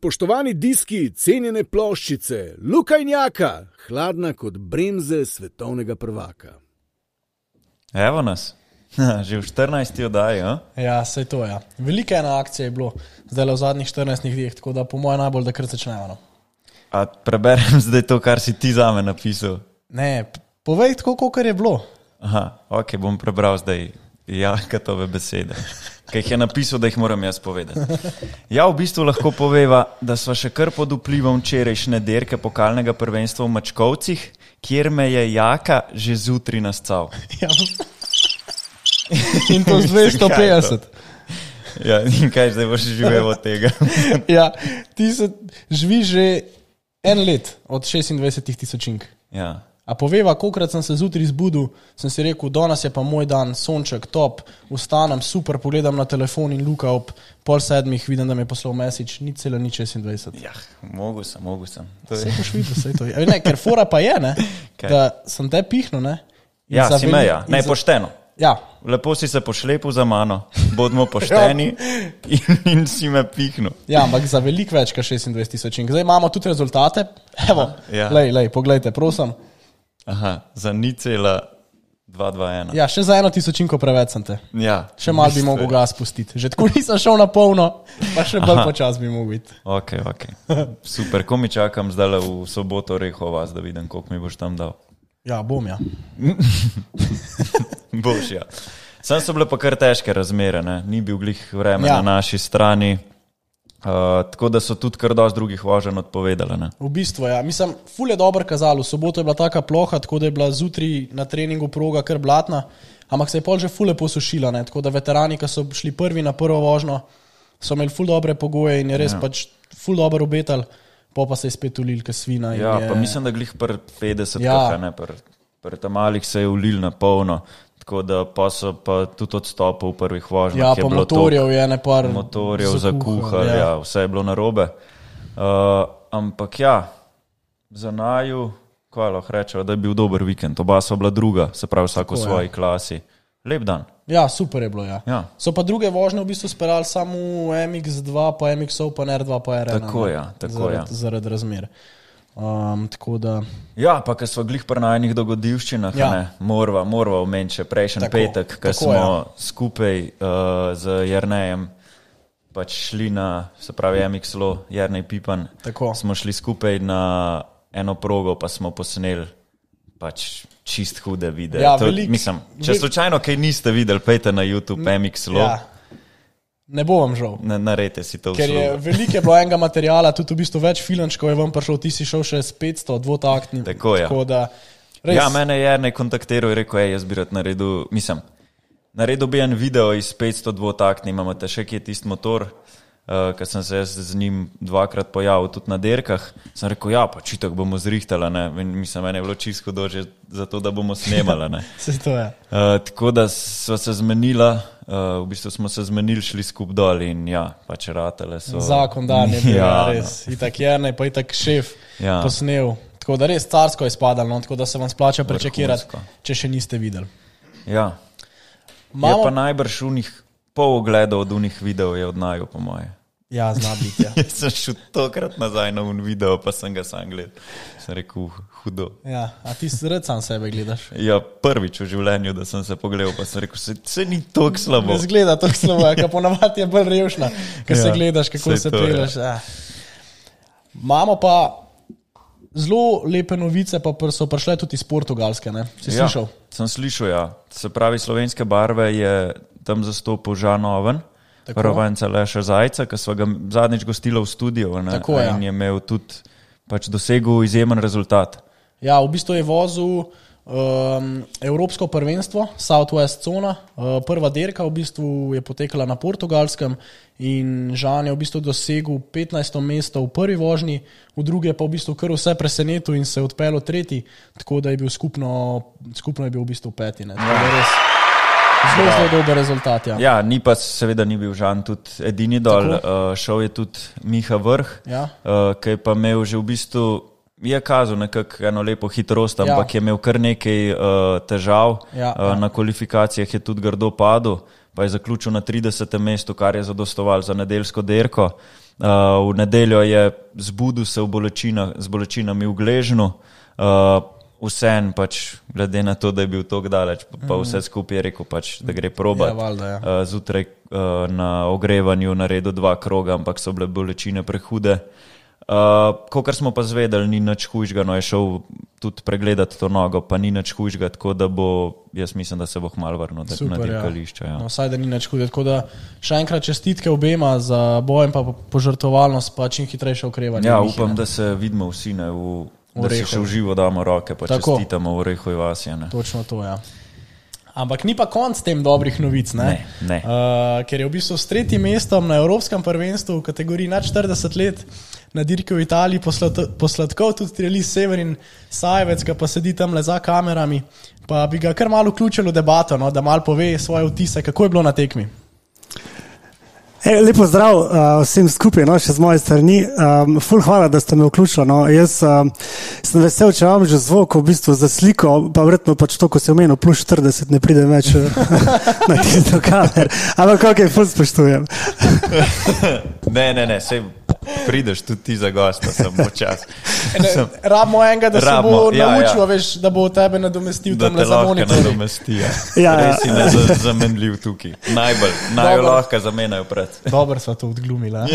Spoštovani diski, cenjene ploščice, Luka in Jaka, hladna kot bremze svetovnega prvaka. Evo nas, že v 14. oddaji, a? Ja, sej to, ja. Velika ena akcija je bilo zdaj v zadnjih 14 dneh, tako da po moje najbolj, da kar začnemo. No. A preberem zdaj to, kar si ti zame napisal? Ne, povej tako, kakor je bilo. Aha, ok, bom prebral zdaj Jakatove besede, ki jih je napisal, da jih moram jaz povedati. Ja, v bistvu lahko poveva, da sva še kar pod vplivom včerajšnje dirke pokalnega prvenstva v Mačkovcih, kjer me je Jaka že zjutraj nascal. Ja. In to z 250. Ja, in kaj zdaj boš živel od tega? Ja, ti se živi že en let od 26,000. Ja. A poveva, kolikrat sem se zjutraj zbudil, sem si rekel, danes je pa moj dan, sonček, top, vstanem, super, pogledam na telefon in Luka ob 6:30 vidim, da mi je poslal message, ni 26. Ja, mogu sem. Sej boš videl, sej to je. Ne, ker fora pa je, ne, da sem te pihnil, ne. Ja, si me, ja, ne, pošteno. Ja. Lepo si se pošlepil za mano, bodimo pošteni in si me pihnil. Ja, ampak za veliko več kot 26,000. Zdaj imamo tudi rezultate, evo, ja. Lej, poglejte, prosim. Aha, za 0,221. Ja, še za 1,000 preveč sem te. Ja. Še malo bi mogel gas pustiti. Že tako nisem šel na polno, pa še bolj počas bi mogel biti. Ok. Super, ko mi čakam zdaj v soboto Rehovas, da vidim, koliko mi boš tam dal. Ja, bom, ja. Boš, ja. Sam so bile pa kar težke razmere, ne? Ni bil glih vreme na naši strani. Tako da so tudi kar dosti drugih voženj odpovedali. Ne? V bistvu, ja. Mislim, ful je dobro kazalo. V soboto je bila taka ploha, tako da je bila zjutraj na treningu proga kar blatna, ampak se je pol že ful lepo sušila. Ne? Tako da veterani, ki so šli prvi na prvo vožnjo, so imeli ful dobre pogoje in je res pač ful dobro obetal, pa se je spet ulil ka svina. Ja, pa mislim, da glih pri 50-kah, ne, pri tam malih se je ulil na polno. Tako da pa so pa tudi odstopil v prvih vožnjah. Ja, pa motorjev je ne par motorjev zakuhal, ja, vse je bilo narobe. Ampak ja, za naju, kaj lahko rečeva, da je bil dober vikend. Oba so bila druga, se pravi vsako v svoji klasi. Lep dan. Ja, super je bilo, ja. So pa druge vožnje v bistvu sperali samo MX2, pa MX-ov, pa R2, pa R1. Tako ja. Zaradi razmer. Tako da... Ja, pa ko smo glih pri najnih dogodivščinah, morva omeniti še prejšnji petek, ko smo skupaj z Jernejem pač šli na, se pravi MX-lo, Jernej Pipan, smo šli skupaj na eno progo, pa smo posneli pač čist hude videe. Ja, mislim, če slučajno kaj niste videli, pejte na YouTube MX-lo. Ja. Ne bo vam žal. Narejte si to Ker je veliko bilo enega materijala, tudi v bistvu več filančkov je vam prišel, ti si šel še s 500 dvotaktnim. Tako je. Ja, mene je Jernej kontaktiral in rekel, jaz bi rad naredil, naredil bi en video iz 500 dvotaktnim, imate še kje tist motor, ker sem se z njim dvakrat pojavil tudi na dirkah. Sem rekel, ja, pa čitak bomo zrihtala, ne. Mislim, mene je bilo čisto dože za to, da bomo snemala, ne. Se to je. Tako da sva se zmenila, v bistvu smo se zmenili, šli skup dol in ja, pač ratele so. Zakon dan je bil, res. Itak Jernej, pa itak šef posnel. Tako da res carsko je spadalo, no? Tako da se vam splača prečekirati, če še niste videli. Ja. Je pa najbrž pol ogledov od unih videov je od naju, po moje. Ja, zna biti, ja. Jaz sem šel tokrat nazaj na un video, pa sem ga sam gledal. Sem rekel, hudo. Ja, a ti rad sam sebe gledaš? Ja, prvič v življenju, da sem se pogledal, pa sem rekel, se ni toliko slabo. Ne zgleda toliko slabo, ka ponavadi je bolj revšna, ko se gledaš, kako se peleš. Ja. Imamo pa zelo lepe novice, pa so prišle tudi iz Portugalske, ne? Si slišal? Sem slišal, ja. Se pravi, slovenske barve je tam zastopil Žan Oven, prvenca Leša Zajca, ki sva ga zadnjič gostila v studiu, ne? In je imel tudi pač dosegel izjemen rezultat. Ja, v bistvu je vozil Evropsko prvenstvo, Southwest Zona, prva dirka v bistvu je potekala na Portugalskem in Žan je v bistvu dosegel 15. mesto v prvi vožnji, v druge pa v bistvu kar vse presenetil in se odpeljal tretji, tako da je bil skupno je bil v bistvu peti. Ne? Tako da res zelo dober rezultat. Ja. Ja, seveda ni bil Žan tudi edini dol, šel je tudi Miha Vrh, ki je pa imel že v bistvu je kazal nekako eno lepo hitrost, ampak je imel kar nekaj težav. Na kvalifikacijah je tudi grdo padel, pa je zaključil na 30. mestu, kar je zadostoval za nedeljsko dirko. V nedeljo je zbudil se z bolečinami v gležnju, vsem pač, glede na to, da je bil tako daleč, pa vse skupaj je rekel pač, da gre probat. Ja, valjda, ja. Zjutraj na ogrevanju naredil 2 kroga, ampak so bile bolečine prehude. Kakor smo pa zvedeli, ni nič hujšega, no je šel tudi pregledati to nogo, pa ni nič hujšega, tako da jaz mislim, da se bo kmalu vrnil na dirkališče. Ja. No, vsaj da ni nič hujšega, tako da še enkrat čestitke obema za bojem pa požrtvovalnost, pa čim hitrejše okrevanje. Ja, upam, da se vidimo vsi, da si še v živo damo roke, pa čestitamo v Orehovi vasi. Točno to, ja. Ampak ni pa konc tem dobrih novic, ne? Ne. Ker je v bistvu s 3. mestom na Evropskem prvenstvu v kategoriji nad 40 let na dirki v Italiji posladkov tudi Trialis Severin Sajevec, ki pa sedi tam le za kamerami, pa bi ga kar malo vključil v debato, no, da malo pove svoje vtise, kako je bilo na tekmi. Lepo zdrav vsem skupaj, no, še z moje strani. Ful hvala, da ste me vključili. No. Jaz sem vesel, če vam že zvok v bistvu za sliko, pa verjetno pač to, ko se omenil, plus 40 ne pride več na tisto kamer. Ampak kako je ful spoštujem. Ne, sej prideš tudi ti za gosta, sem počas. Rabimo enega, da se bo naučil, veš, da bo tebe nadomestil tam le za monitor. Da te lahko nadomesti, ja. Res si nezamenljiv tukaj. Najbolj lahko zamenjajo pred. Dobro sva to odglumila.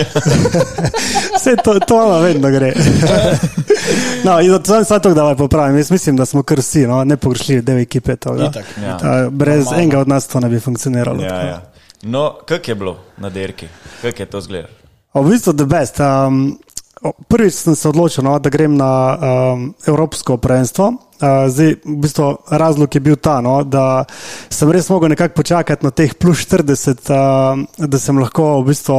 Vse to vam vedno gre. No, in sam to davaj popravim. Jaz mislim, da smo kar vsi, no, nepogrešljivi del ekipe. Brez enega od nas to ne bi funkcioniralo. Ja. No, kak je bilo na dirki? Kak je to zgleda? V bistvu the best. Prvič sem se odločil, no, da grem na Evropsko prvenstvo. Zdaj, v bistvu razlog je bil ta, no, da sem res mogel nekako počakati na teh plus 40, da sem lahko v bistvu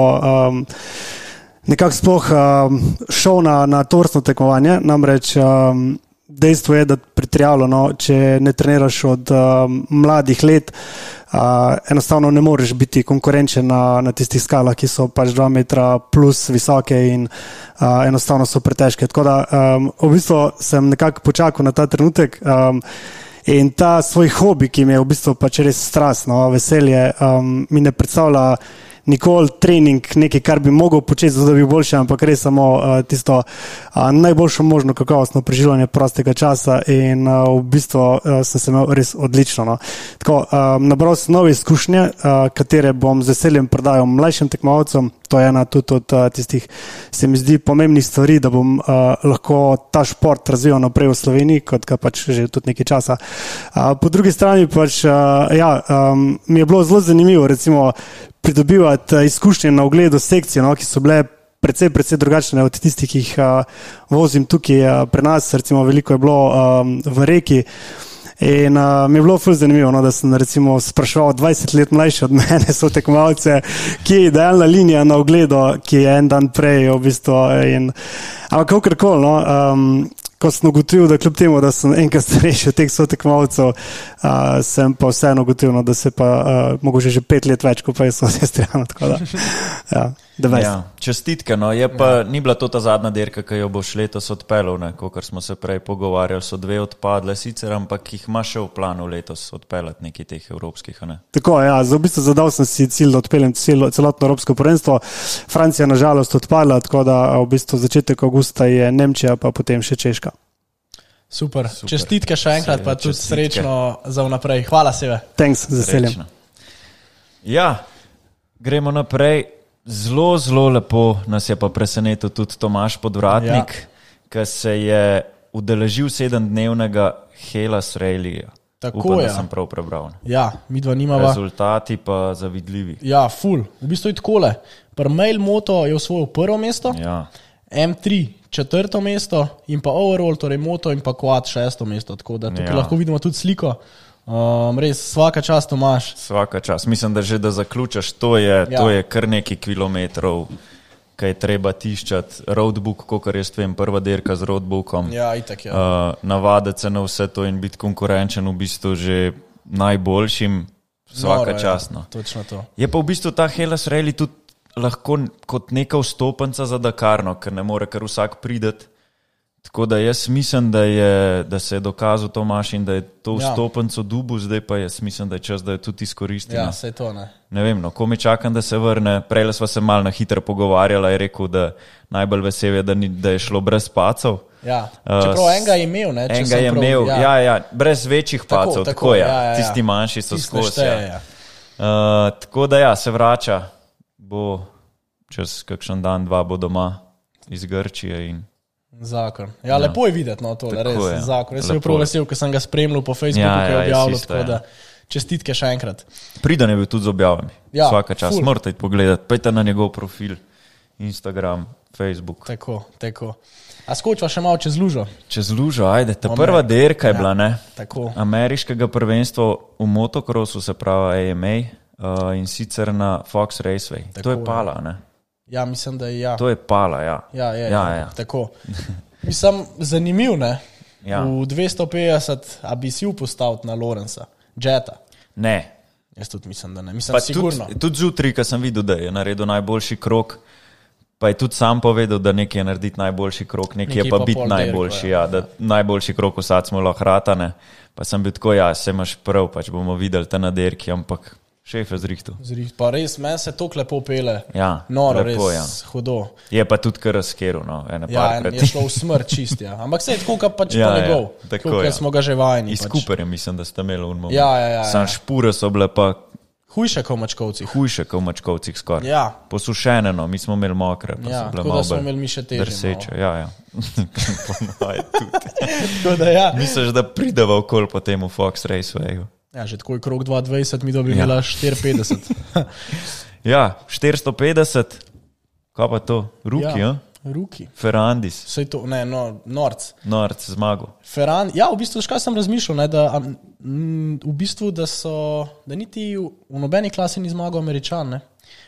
nekako sploh šel na tovrstno tekmovanje. Namreč dejstvo je, da pri trialu, no, če ne treniraš od mladih let, enostavno ne moreš biti konkurenčen na tistih skalah, ki so pač 2 metra plus visoke in enostavno so pretežke. Tako da v bistvu sem nekako počakal na ta trenutek in ta svoj hobi, ki mi je v bistvu pač res strast, no, veselje, mi ne predstavlja nikoli trening, nekaj, kar bi mogel početi, zato da bi boljše, ampak res samo tisto najboljšo možno kakovostno preživljanje prostega časa in v bistvu sem se imel res odlično. No. Tako, nabral sem nove izkušnje, katere bom z veseljem predajal mlajšim tekmovalcem. To je ena tudi od tistih, se mi zdi, pomembnih stvari, da bom lahko ta šport razvijal naprej v Sloveniji, kot ga pač že tudi nekaj časa. Po drugi strani pač, mi je bilo zelo zanimivo, recimo, pridobivati izkušnje na ogledu sekcije, no, ki so bile precej drugačne od tistih, ki jih vozim tukaj pri nas, recimo veliko je bilo v Reki. In mi je bilo ful zanimivo, no, da sem recimo spraševal 20 let mlajši od mene, so tekmovalce, ki je idealna linija na ogledu, ki je en dan prej v bistvu. Ampak kakorkoli, no, ko sem ugotovil, da kljub temu, da sem enkrat starejši od teh sotekmovalcev, sem pa vseeno ugotovil, no, da se pa mogoče že 5 let več, kot pa je Sestriano, tako da, ja. Čestitke, no, je pa ni bila to ta zadnja dirka, ki jo boš letos odpeljal, ne, kakor smo se prej pogovarjali, so 2 odpadle sicer, ampak jih ima še v planu letos odpeljati nekaj teh evropskih, ne? Tako, ja, v bistvu zadal sem si cilj, da odpeljem celotno evropsko prvenstvo. Francija nažalost odpadla, tako da v bistvu začetek avgusta je Nemčija, pa potem še Češka. Super. Čestitke še enkrat, pa tudi srečno za vnaprej. Hvala Seve. Thanks, z veseljem. Ja, gremo naprej. Zelo lepo nas je pa presenetil tudi Tomaž Podvratnik, ki se je udeležil 7-dnevnega Hellas Rallyja. Tako upam, je. Da sem prav prebral. Ja, midva nimava. Rezultati pa zavidljivi. Ja, ful. V bistvu je takole. Mail Moto je osvojil 1. mesto, ja. M3 4. mesto in pa overall, torej Moto in pa Quad 6. mesto. Tako da tukaj lahko vidimo tudi sliko. Res, svaka čast, Tomaž. Svaka čast. Mislim, da že da zaključaš, to je kar nekaj kilometrov, kaj je treba tiščati. Roadbook, kakor jaz vem, prva dirka z roadbookom. Ja, itak, ja. Navaditi se na vse to in biti konkurenčen v bistvu že najboljšim. Svaka čast. No. Točno to. Je pa v bistvu ta Hellas Rally tudi lahko kot neka vstopenca za Dakarno, ker ne more kar vsak prideti. Tako da jaz mislim, da se je dokazal Tomaš in da je to vstopenco dubu, zdaj pa jaz mislim, da je čas, da je tudi izkoristil. Ja, sej to ne. Ne vem, ko mi čakam, da se vrne. Prej sva se malo na hitro pogovarjala, je rekel, da najbolj vesel je, da je šlo brez pacov. Ja, čeprav enega je imel, ne? Enega je imel, ja, brez večjih pacov, tako ja. Tisti manjši so skozi. Tako da ja, se vrača, bo čez kakšen dan, 2 bo doma iz Grčije in zakon. Ja, lepo je videti, no, tole, res, zakon. Jaz sem bil prav vesel, ko sem ga spremljal po Facebooku, ki je objavljal, tako da čestitke še enkrat. Pridan je bil tudi z objavami. Vsaka čas, morate pogledati, pejte na njegov profil, Instagram, Facebook. Tako. A skočiva še malo čez lužo? Čez lužo, ajde. Ta prva dirka je bila, ne? Tako. Ameriškega prvenstva v motokrosu, se pravi AMA, in sicer na Fox Raceway. Tako, to je pala, ne? Ja, mislim, da je ja. To je pala, ja. Ja. Tako. Mislim, zanimiv, ne? Ja. V 250, a bi si upostavil na Lorenza, Jetta? Ne. Jaz tudi mislim, da ne. Mislim, sigurno. Tudi zjutraj, ko sem videl, da je naredil najboljši krok, pa je tudi sam povedal, da nekaj je narediti najboljši krok, nekaj je pa biti najboljši, da najboljši krok vsad smo lahko ratane. Pa sem bil tako, se imaš prav, pač bomo videli te na derki, ampak šef je zrihtu. Pa res, meni se tok lepo pele. Ja, noro, lepo, res, hudo. Je pa tudi kar razkeru, no. Je šlo v smrt čist, ja. Ampak se je tako, ka pač pa njegov. Tako, smo ga že vajeni. Iz Cooperja mislim, da ste imeli un moment. Ja. Sam špure so bile pa hujše kot v Mačkovcih. Hujše kot v Mačkovcih skoraj. Ja. Posušene, no, mi smo imeli mokre. Ja, tako da smo imeli mi še težje. Drseče, ja. Tako da ja. Misliš, da prideva okol po temu Fox Racewayu? Ja, že tako je krok 220, mi dobi imela 450. Ja, 450, kaj pa to? Ruki, ja? Ruki. Ferrandis. Sej to, ne, Norc. Norc, zmagal. Ja, v bistvu, škaj sem razmišljal, ne, da v bistvu, da niti v nobeni klasi ni zmagal Američan, ne.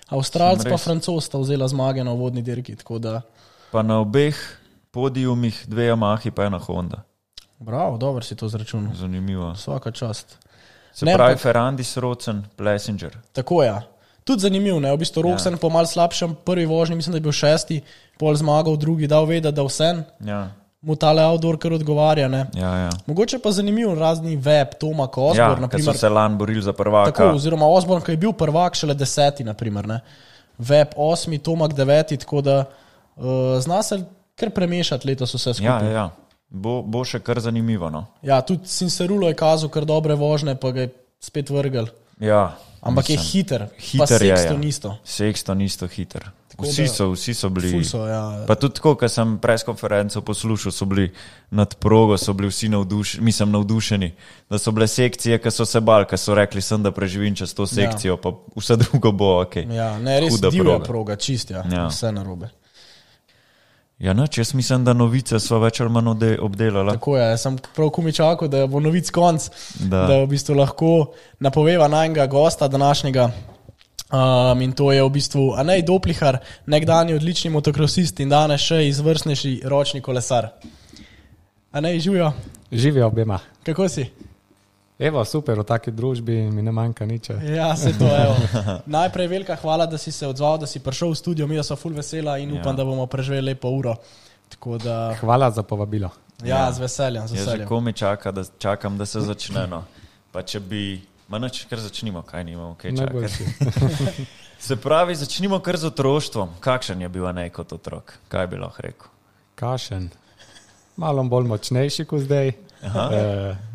Avstralc pa Francoz sta vzela zmage na uvodni dirki, tako da. Pa na obeh podijumih 2 Yamahi pa 1 Honda. Bravo, dobro si to zračunal. Zanimivo. Svaka čast. Se pravi Ferrandis, Rocen, Plessinger. Tako je. Tudi zanimiv, ne? V bistvu Rocen po mal slabšem prvi vožnji, mislim, da je bil 6, pol zmagal, drugi dal vedeti, da vsem. Ja. Mu tale outdoor kar odgovarja, ne? Ja. Mogoče pa zanimiv razni Web, Tomak, Osborne, naprimer. Ja, so se lan borili za prvaka. Tako, oziroma Osborne, ki je bil prvak, šele 10, naprimer, ne? Web 8, Tomak 9, tako da zna se kar premešati letos vse skupaj. Ja. Bo še kar zanimivo, no. Ja, tudi Cincerulo je kazal kar dobre vožne, pa ga je spet vrgel. Ja. Ampak je hiter pa Sexton isto. Sexton isto hiter. Vsi so bili. Ja. Pa tudi tako, ko sem preskonferenco poslušal, so bili nad progo, so bili vsi navdušeni, da so bile sekcije, ki so se bali, ki so rekli sem, da preživim čez to sekcijo, pa vse drugo bo ok. Ja, ne, res divja proga, čist, vse narobe. Ja, noč, jaz mislim, da novice so več ali manj obdelala. Tako je, sem prav kumičakal, da bo novic konc, da v bistvu lahko napoveva najnega gosta današnjega. In to je v bistvu Anej Doplihar, nekdanji odlični motokrosist in danes še izvrstnejši ročni kolesar. Anej, živijo? Živijo obema. Kako si? Evo, super, v taki družbi mi ne manjka nič. Ja, se to, evo. Najprej velika hvala, da si se odzval, da si prišel v studio, mi so ful vesela in upam, da bomo preživeli lepo uro. Tako da... Hvala za povabilo. Ja, z veseljem. Jaz že komi čakam, da se začne, no. Pa če bi... Noč, kar začnimo, kaj nimamo, kaj čakati. Se pravi, začnimo kar z otroštvom. Kakšen je bil Anej kot otrok? Kaj bi lahko rekel? Kakšen? Malo bolj močnejši kot zdaj.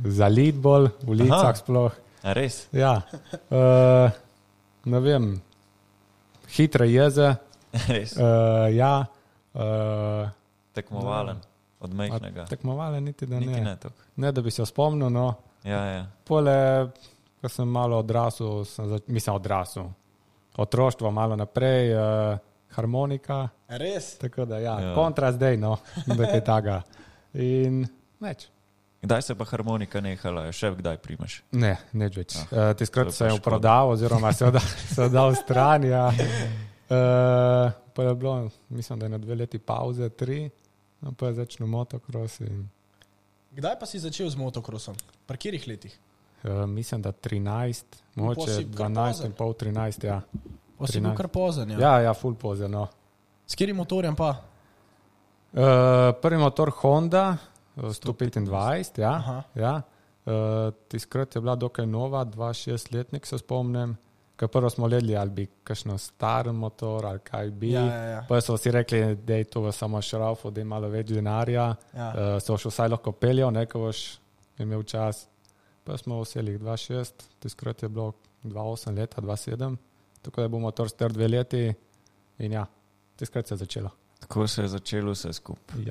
Zalit bolj, v licah sploh. A res? Ja. Ne vem, hitre jeze. Res? Ja. Tekmovalen, od majhnega. Tekmovalen niti da niti ne. Ne, da bi se spomnil, no. Ja. Pole, ko sem malo odrasel, otroštvo malo naprej, harmonika. Res? Tako da, kontra zdaj, no, da je taga. In neč. Kdaj se pa harmonika nehala? Še kdaj primaš? Ne, neč več. Tiskrat se je prodal, oziroma se je dal stran, ja. Pa je bilo, mislim, da je na 2 leti pauze, 3, pa je začel motokros. Kdaj pa si začel z motokrosom? Pri katerih letih? Mislim, da 13, mogoče 12 in pol, 13, ja. Pa si bil kar pozen, ja? Ja, ful pozen, no. S katerim motorjem pa? Prvi motor Honda, 125, ja. Tiskrat je bila dokaj nova, 2-6 letnik se spomnim, ker prvo smo ledli, ali bi kakšno star motor, ali kaj bi. Pa so vsi rekli, da je to samo šraufu, da je malo več denarja, so še vsaj lahko peljal, ko boš imel čas. Pa smo vseli 2-6, tiskrat je bilo 2-8 leta, 2-7, tako da bo motor star 2 leti in ja, tiskrat se je začelo. Tako se je začelo vse skupaj.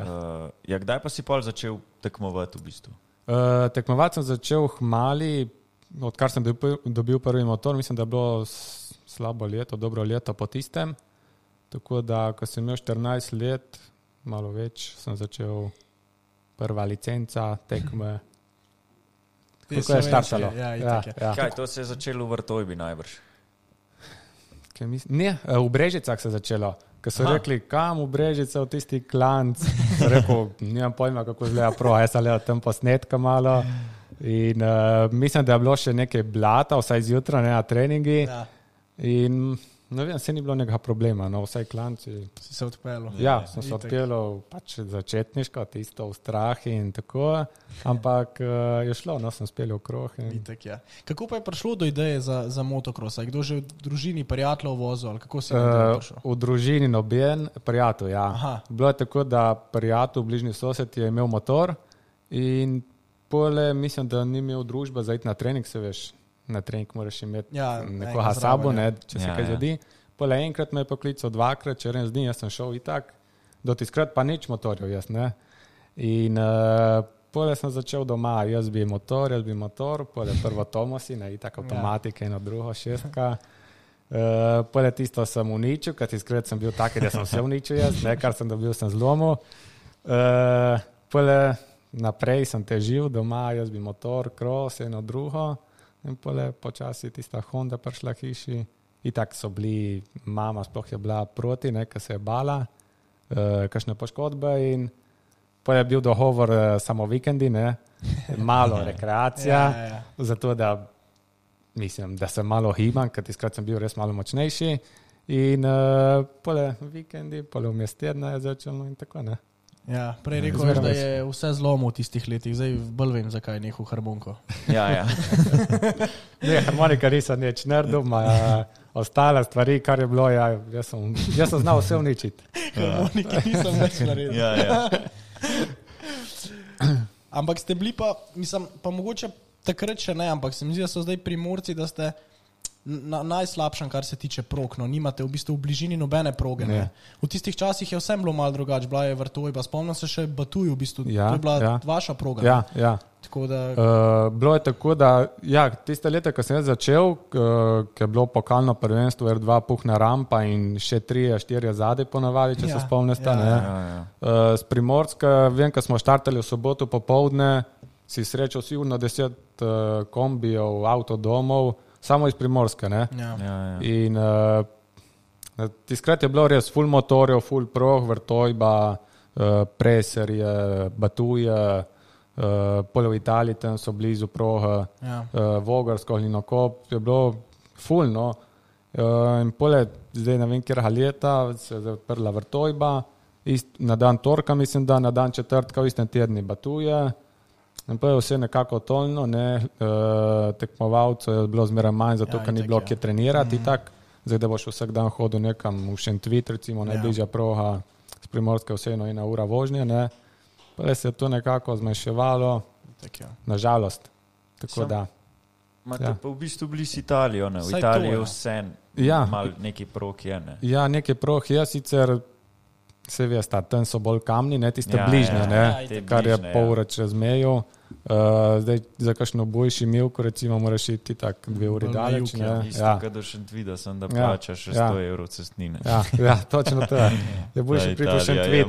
Kdaj pa si pol začel tekmovati v bistvu? Tekmovati sem začel hmali, odkar sem dobil prvi motor, mislim, da je bilo slabo leto, dobro leto po tistem, tako da, ko sem imel 14 let, malo več, sem začel prva licenca, tekme. Kako je štartalo? Kaj, to se je začelo v Vrtojbi najbrž? Ne, v Brežicah se je začelo. Ko so rekli, kam v Brežice, v tisti klanc, sem rekel, nimam pojma, kako izgleda pro, jaz sem gledal tam posnetka malo in mislim, da je bilo še nekaj blata, vsaj zjutraj, na treningi in ne vem, se ni bilo nekega problema, no, vsaj klanci. Si se odpeljal? Ja, sem se odpeljal pač začetniško, tisto v strah in tako, ampak je šlo, no, sem speljal krog. Itak, ja. Kako pa je prišlo do ideje za motocross? Je kdo že v družini prijateljev vozil, ali kako si prišel? V družini noben prijatelj, ja. Aha. Bilo je tako, da prijatelj, bližnji sosed je imel motor in pole, mislim, da ni imel družbe za iti na trening, se veš, na trening moraš imeti nekoga sabo, če se kaj zgodi. Pole enkrat me je poklical, 2krat, čez dni, jaz sem šel itak, do tiskrat pa nič motorjev, jaz ne. In pole sem začel doma, jaz bi motor, pole prvo Tomosi, itak avtomatike, eno drugo, 6. Pole tisto sem uničil, ker tiskrat sem bil tak, da sem vse uničil jaz, kar sem dobil, sem zlomil. Pole naprej sem težil doma, jaz bi motor, cross, eno drugo. In pole počasi tista Honda prišla hiši. Itak so bili, mama sploh je bila proti, ker se je bala, kakšne poškodbe in pole je bil dogovor samo vikendi, malo rekreacija, zato da mislim, da se malo hibam, ker tiskrat sem bil res malo močnejši in pole vikendi, pole vmes tedna je začelo in tako, ne. Ja, prej rekel, da je vse zlomil v tistih letih, zdaj bolj vem, zakaj je nehal harmoniko. Ja. Ne, harmonika nisem nič naredil, ostale stvari, kar je bilo, jaz sem znal vse uničiti. Harmonike nisem več naredil. Ja. Ampak ste bili pa, mislim, pa mogoče takrat še ne, ampak se mi zdi, da so zdaj Primorci, da ste najslabšem, kar se tiče prog, no, nimate v bistvu v bližini nobene proge. V tistih časih je vsem bilo malo drugače, bila je Vrtojba, spomnim se še Batuj, v bistvu, to je bila vaša proga. Ja. Tako da... bilo je tako, da tiste leta, ko sem jaz začel, ko je bilo pokalno prvenstvo, R2 puhna rampa in še 3-4 zadaj ponavadi, če se spomnite. S Primorska, vem, ko smo štartali v soboto popoldne, si srečal sigurno 10 kombijev, avtodomov, samo iz Primorska, ne? Ja. In tiskrat je bilo res full motorjev, full prog, Vrtojba, Preserje, Batuje, pole v Italiji, tam so blizu proga, Vogarsko, Hlinokop, je bilo full, no. In pole, zdaj ne vem, kjerha leta, se je zaprla Vrtojba, na dan torka, mislim, da na dan četrtka v istem tedni Batuje. In pa je vse nekako tolno, tekmovalcev je bilo zmeraj manj, zato ker ni bilo kje trenirati, zdaj da boš vsak dan hodil nekam v Šentvit, recimo najbližja proga s Primorske vseeno 1 ura vožnje, pa se je to nekako zmanjševalo, nažalost. Tako da. Imate pa v bistvu blizu Italijo, v Italiji vse malo neki prog je, ne? Ja, neki prog je sicer, se veste, tam so bolj kamni, tiste bližnje, kar je pol ure čez mejo. Zdaj za kakšno boljši milko, recimo, moraš iti tak 2 uri daleč. Isto, kada Šentvida sem, da plačaš 100 evrov cestnine. Ja, točno to je. Je boljši priti v Šentvit.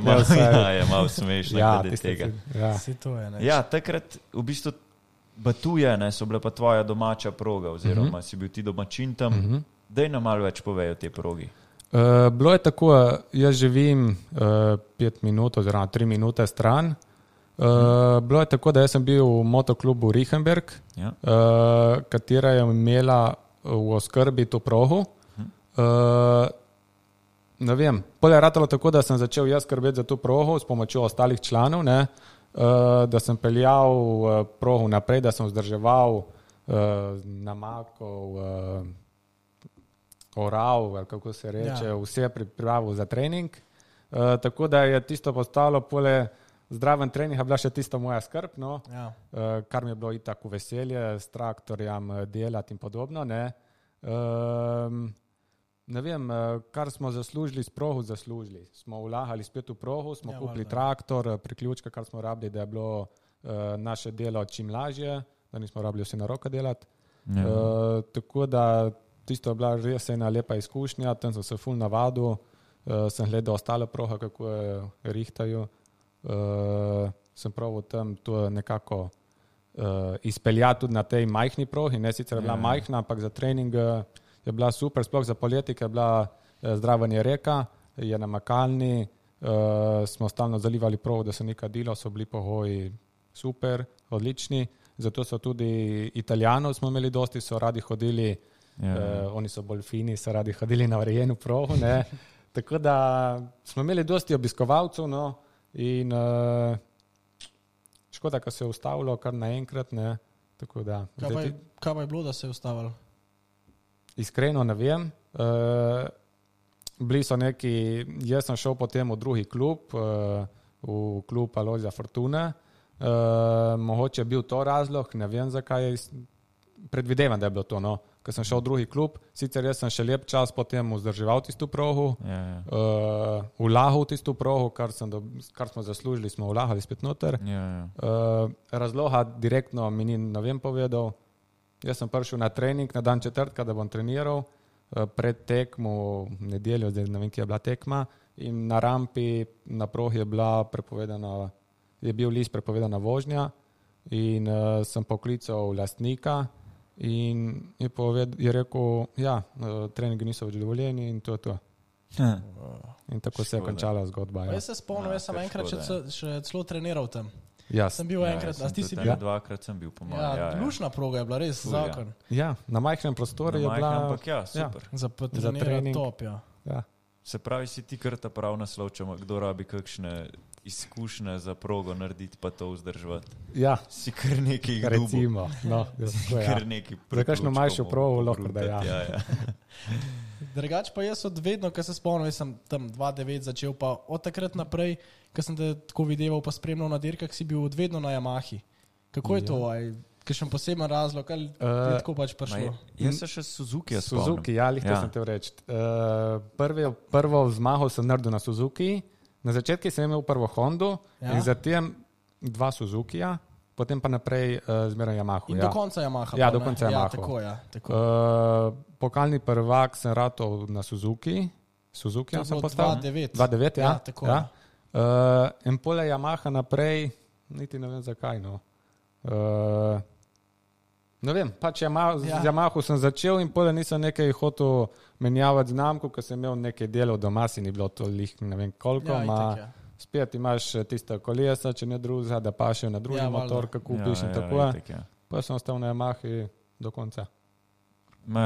Je malo smešno glede tega. Ja, takrat v bistvu Batuje, so bile pa tvoja domača proga, oziroma si bil ti domačin tam. Daj nam malo več povej o tej progi. Bilo je tako, jaz živim 5 minut oziroma 3 minute stran. Bilo je tako, da jaz sem bil v motoklubu Richenberg, katera je imela v oskrbi to progo. ne vem, pol je ratalo tako, da sem začel jaz skrbeti za to progo s pomočjo ostalih članov, ne, da sem peljal progo naprej, da sem vzdrževal namakov, oral, ali kako se reče, vse pripravil za trening. Tako da je tisto postalo pole zdraven trening, a bila še tisto moja skrb, no, kar mi je bilo itak v veselje s traktorjem delati in podobno, ne. Ne vem, kar smo zaslužili s progo, zaslužili. Smo vlagali spet v progo, smo kupili traktor, priključke, kar smo rabili, da je bilo naše delo čim lažje, da nismo rabili vse na roke delati. Tako da tisto je bila res ena lepa izkušnja, tam sem se ful navadil, sem gledal ostale proge, kako je rihtajo. Sem pravil tam to nekako izpeljati tudi na tej majhni progi, ne sicer je bila majhna, ampak za trening je bila super, sploh za poletje, ker je bila zdravanje reka, je namakalni, smo stalno zalivali progo, da se ni kadilo, so bili pogoji super, odlični, zato so tudi Italijanov smo imeli dosti, so radi hodili, oni so bolj fini, so radi hodili na urejeno progo, ne, tako da smo imeli dosti obiskovalcev, no, in škoda, ko se je ustavilo kar naenkrat, ne, tako da. Kaj pa je bilo, da se je ustavilo? Iskreno ne vem. Bili so neki, jaz sem šel potem v drugi klub, v klub Alojzija Fortune. Mogoče je bil to razlog, ne vem zakaj, predvidevam, da je bilo to, no. Ko sem šel v drugi klub, sicer jaz sem še lep čas potem vzdrževal tisto progo, vlagal tisto progo, kar smo zaslužili, smo vlagali spet noter. Razloga direktno mi ni, ne vem, povedal. Jaz sem prišel na trening na dan četrtka, da bom treniral, pred tekmo v nedeljo, zdaj ne vem, kje je bila tekma, in na rampi na progi je bil list prepovedana vožnja in sem poklical lastnika in je rekel, treningi niso več dovoljeni in to je to. In tako se je končala zgodba. Jaz se spomnim, jaz sem enkrat še celo treniral tam. Yes. Sem bil enkrat, a ti si bil? Dvakrat sem bil, po mojem. Lušna proga je bila, res zakon. Na majhnem prostoru je bila. Ampak super. Za trening top, Se pravi, si ti kar ta prav naslov, če kdo rabi kakšne izkušnje za progo narediti, pa to vzdrževati. Si kar nekaj dubo. Recimo. Kar nekaj za kakšno manjšo progo lahko da Drugač pa jaz od vedno, ko se spomnim, sem tam 2009 začel, pa od takrat naprej, ko sem te tako videval pa spremljal na dirkah, si bil od vedno na Yamahi. Kako je to? Kakšen poseben razlog, ali je tako pač prišlo? Jaz se še Suzuki spomnim. Suzuki, to sem te reči. Prvo zmago sem naredil na Suzuki, na začetku sem imel prvo Hondu in zatem 2 Suzukija, potem pa naprej zmeraj Yamahu. In do konca Yamaha. Do konca Yamaha. Tako. Pokalni prvak sem ratov na Suzuki. Suzukija sem postal. 2009, tako. In pole Yamaha naprej, niti ne vem zakaj, no. Ne vem, pač z Yamahu sem začel in pole nisem nekaj hotel menjavati znamko, ko sem imel nekaj delov doma, si ni bilo to lih, ne vem koliko, spet imaš tiste kolesa, če ne drugega, da pašejo na drugi motor, kako kupiš in tako. Pa sem ostal na Yamahi do konca.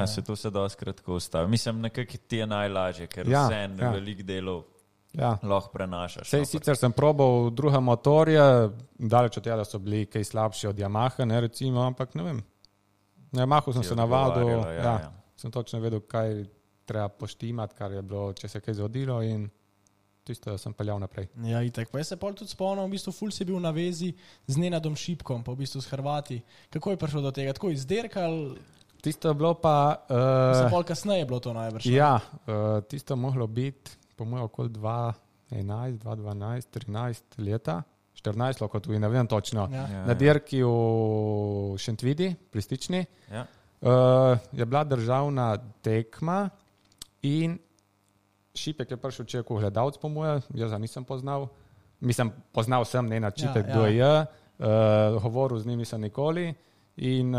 Se to se dosti kratko ustavi. Mislim, nekako ti je najlažje, ker vse veliko delov lahko prenašaš. Sicer sem probal druge motorje, daleč od tega, da so bili kaj slabši od Yamaha, ne recimo, ampak ne vem. Na Yamahu sem se navadil, sem točno vedel, kaj treba poštimati, kar je bilo, če se kaj zgodilo in tisto sem peljal naprej. Itak. Pa jaz se pol tudi spomnim, v bistvu ful si bil na vezi z Nenadom Šipkom, pa v bistvu s Hrvati. Kako je prišlo do tega? Tako izderkal? Tisto je bilo pa... Pol kasneje je bilo to najbrž. Tisto moglo biti po mojem okoli 2011, 2012, 13 leta, 14 lahko tudi, ne vem točno. Na dirki v Šentvidi, pri Stični, je bila državna tekma in Šipek je prišel čekal gledalc po moje, jaz ga nisem poznal. Mislim, poznal sem Nenad Šipek, kdo je, govoril z njim nisem nikoli in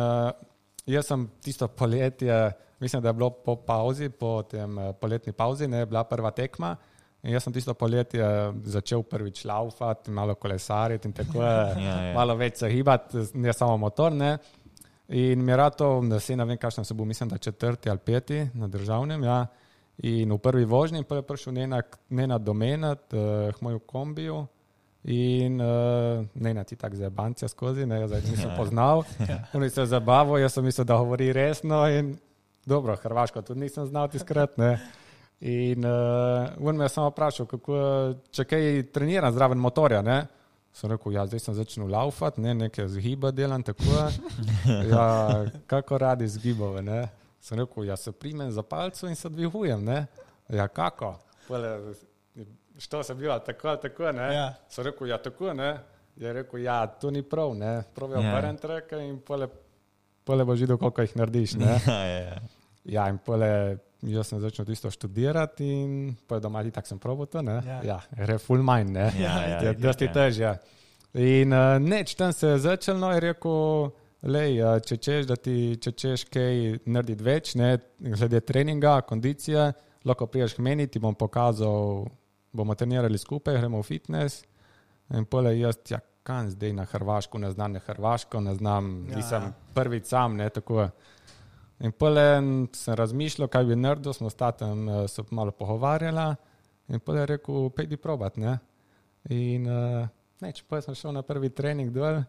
jaz sem tisto poletje, mislim, da je bilo po pauzi, po tem poletni pauzi, ne, bila prva tekma in jaz sem tisto poletje začel prvič laufati, malo kolesariti in tako malo več se hibati, ne samo motor, ne. In mi je rato, da se ne vem, kakšno se bo, mislim, da 4. ali 5. na državnem, In v prvi vožnji pa je prišel Nenad domenat, moj v kombiju in Nenad ti tak zajebancija skozi, ne, zdaj nisem poznal. On se zabavil, jaz sem mislil, da govori resno in dobro, hrvaško tudi nisem znal tiskrat, ne. In on me je samo vprašal, če kaj treniram zraven motorja, ne. Sem rekel, ja, zdaj sem začel laufat, ne, nekaj zgiba delam, tako. Ja, kako radi zgibove, ne. Sem rekel, ja, se primem za palco in se dvihujem, ne. Ja, kako? Što se bila, tako, ne. Ja. Sem rekel, ja, tako, ne. Je rekel, ja, to ni prav, ne. Prav je obrem treka in pole boš videl, koliko jih narediš, ne. Ja, in jaz sem začel tisto študirati in doma tako sem probal to, ne. Ja, gre full mind, ne. Je dosti težje. In neč, tam se je začel, no, je rekel, lej, če češ kaj narediti več, ne, glede treninga, kondicije, lahko priješ k meni, ti bom pokazal, bomo trenirali skupaj, gremo v fitness in pole jaz, ja, kam zdaj na Hrvaško, ne znam Hrvaško, ne znam, nisem prvič sam, ne, tako. In pole sem razmišljal, kaj bi naredil, smo statem se malo pogovarjala in pole je rekel, pejdi probat, ne. In neč, pole sem šel na prvi trening dol,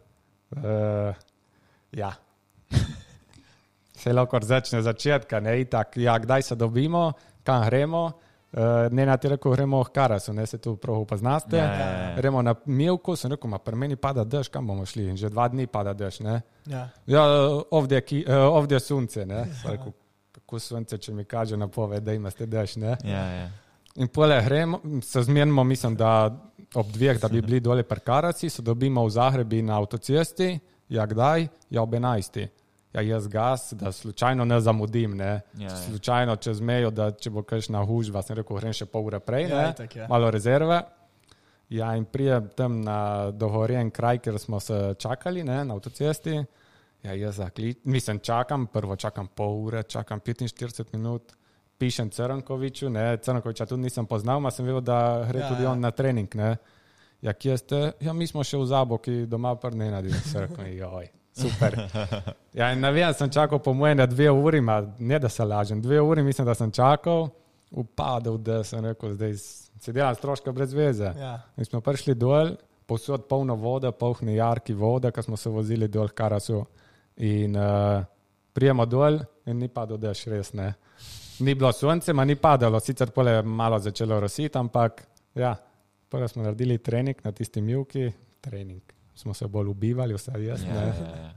ja. Se lahko začne začetka, ne, itak, ja, kdaj se dobimo, kam gremo, Nenad je rekel, gremo v Karasu, ne, se tu prav upoznaste, gremo na Milku, sem rekel, pri meni pada dež, kam bomo šli, in že 2 dni pada dež, ne. Ja, ovdje sunce, ne, sem rekel, kako sunce, če mi kaže napoved, da imate dež, ne. In pole gremo, se zmenimo, mislim, da ob 2, da bi bili dole pri Karasi, se dobimo v Zagrebi na avtocesti, ja, kdaj? Ja, ob 11. Ja, jaz gas, da slučajno ne zamudim, ne. Slučajno čez mejo, da če bo kakšna hužba, sem rekel, grem še pol ure prej, ne, malo rezerve. Ja, in prijem tam na dogovorjen kraj, kjer smo se čakali, ne, na avtocesti. Ja, jaz prvo čakam pol ure, čakam 45 minut, pišem Crnkoviću, ne, Crnkovića tudi nisem poznal, ma sem vedel, da gre tudi on na trening, ne. Ja, kje ste? Ja, mi smo še v Zaboki doma pri Nenadi, sem rekel, joj. Super. Ja, in navijem, sem čakal po moje na 2 uri, ne da se lažem, 2 uri mislim, da sem čakal, upadal, da sem rekel, zdaj se delam stroška brez veze. In smo prišli dol, povsod polno vode, polni jarki vode, ko smo se vozili dol v Karasu. In prijemo dol in ni padal dež, res ne. Ni bilo sonce, ma ni padalo, sicer pole malo začelo rositi, ampak ja, pole smo naredili trening na tisti Milki, trening. Smo se bolj ubivali, vse jaz, ne,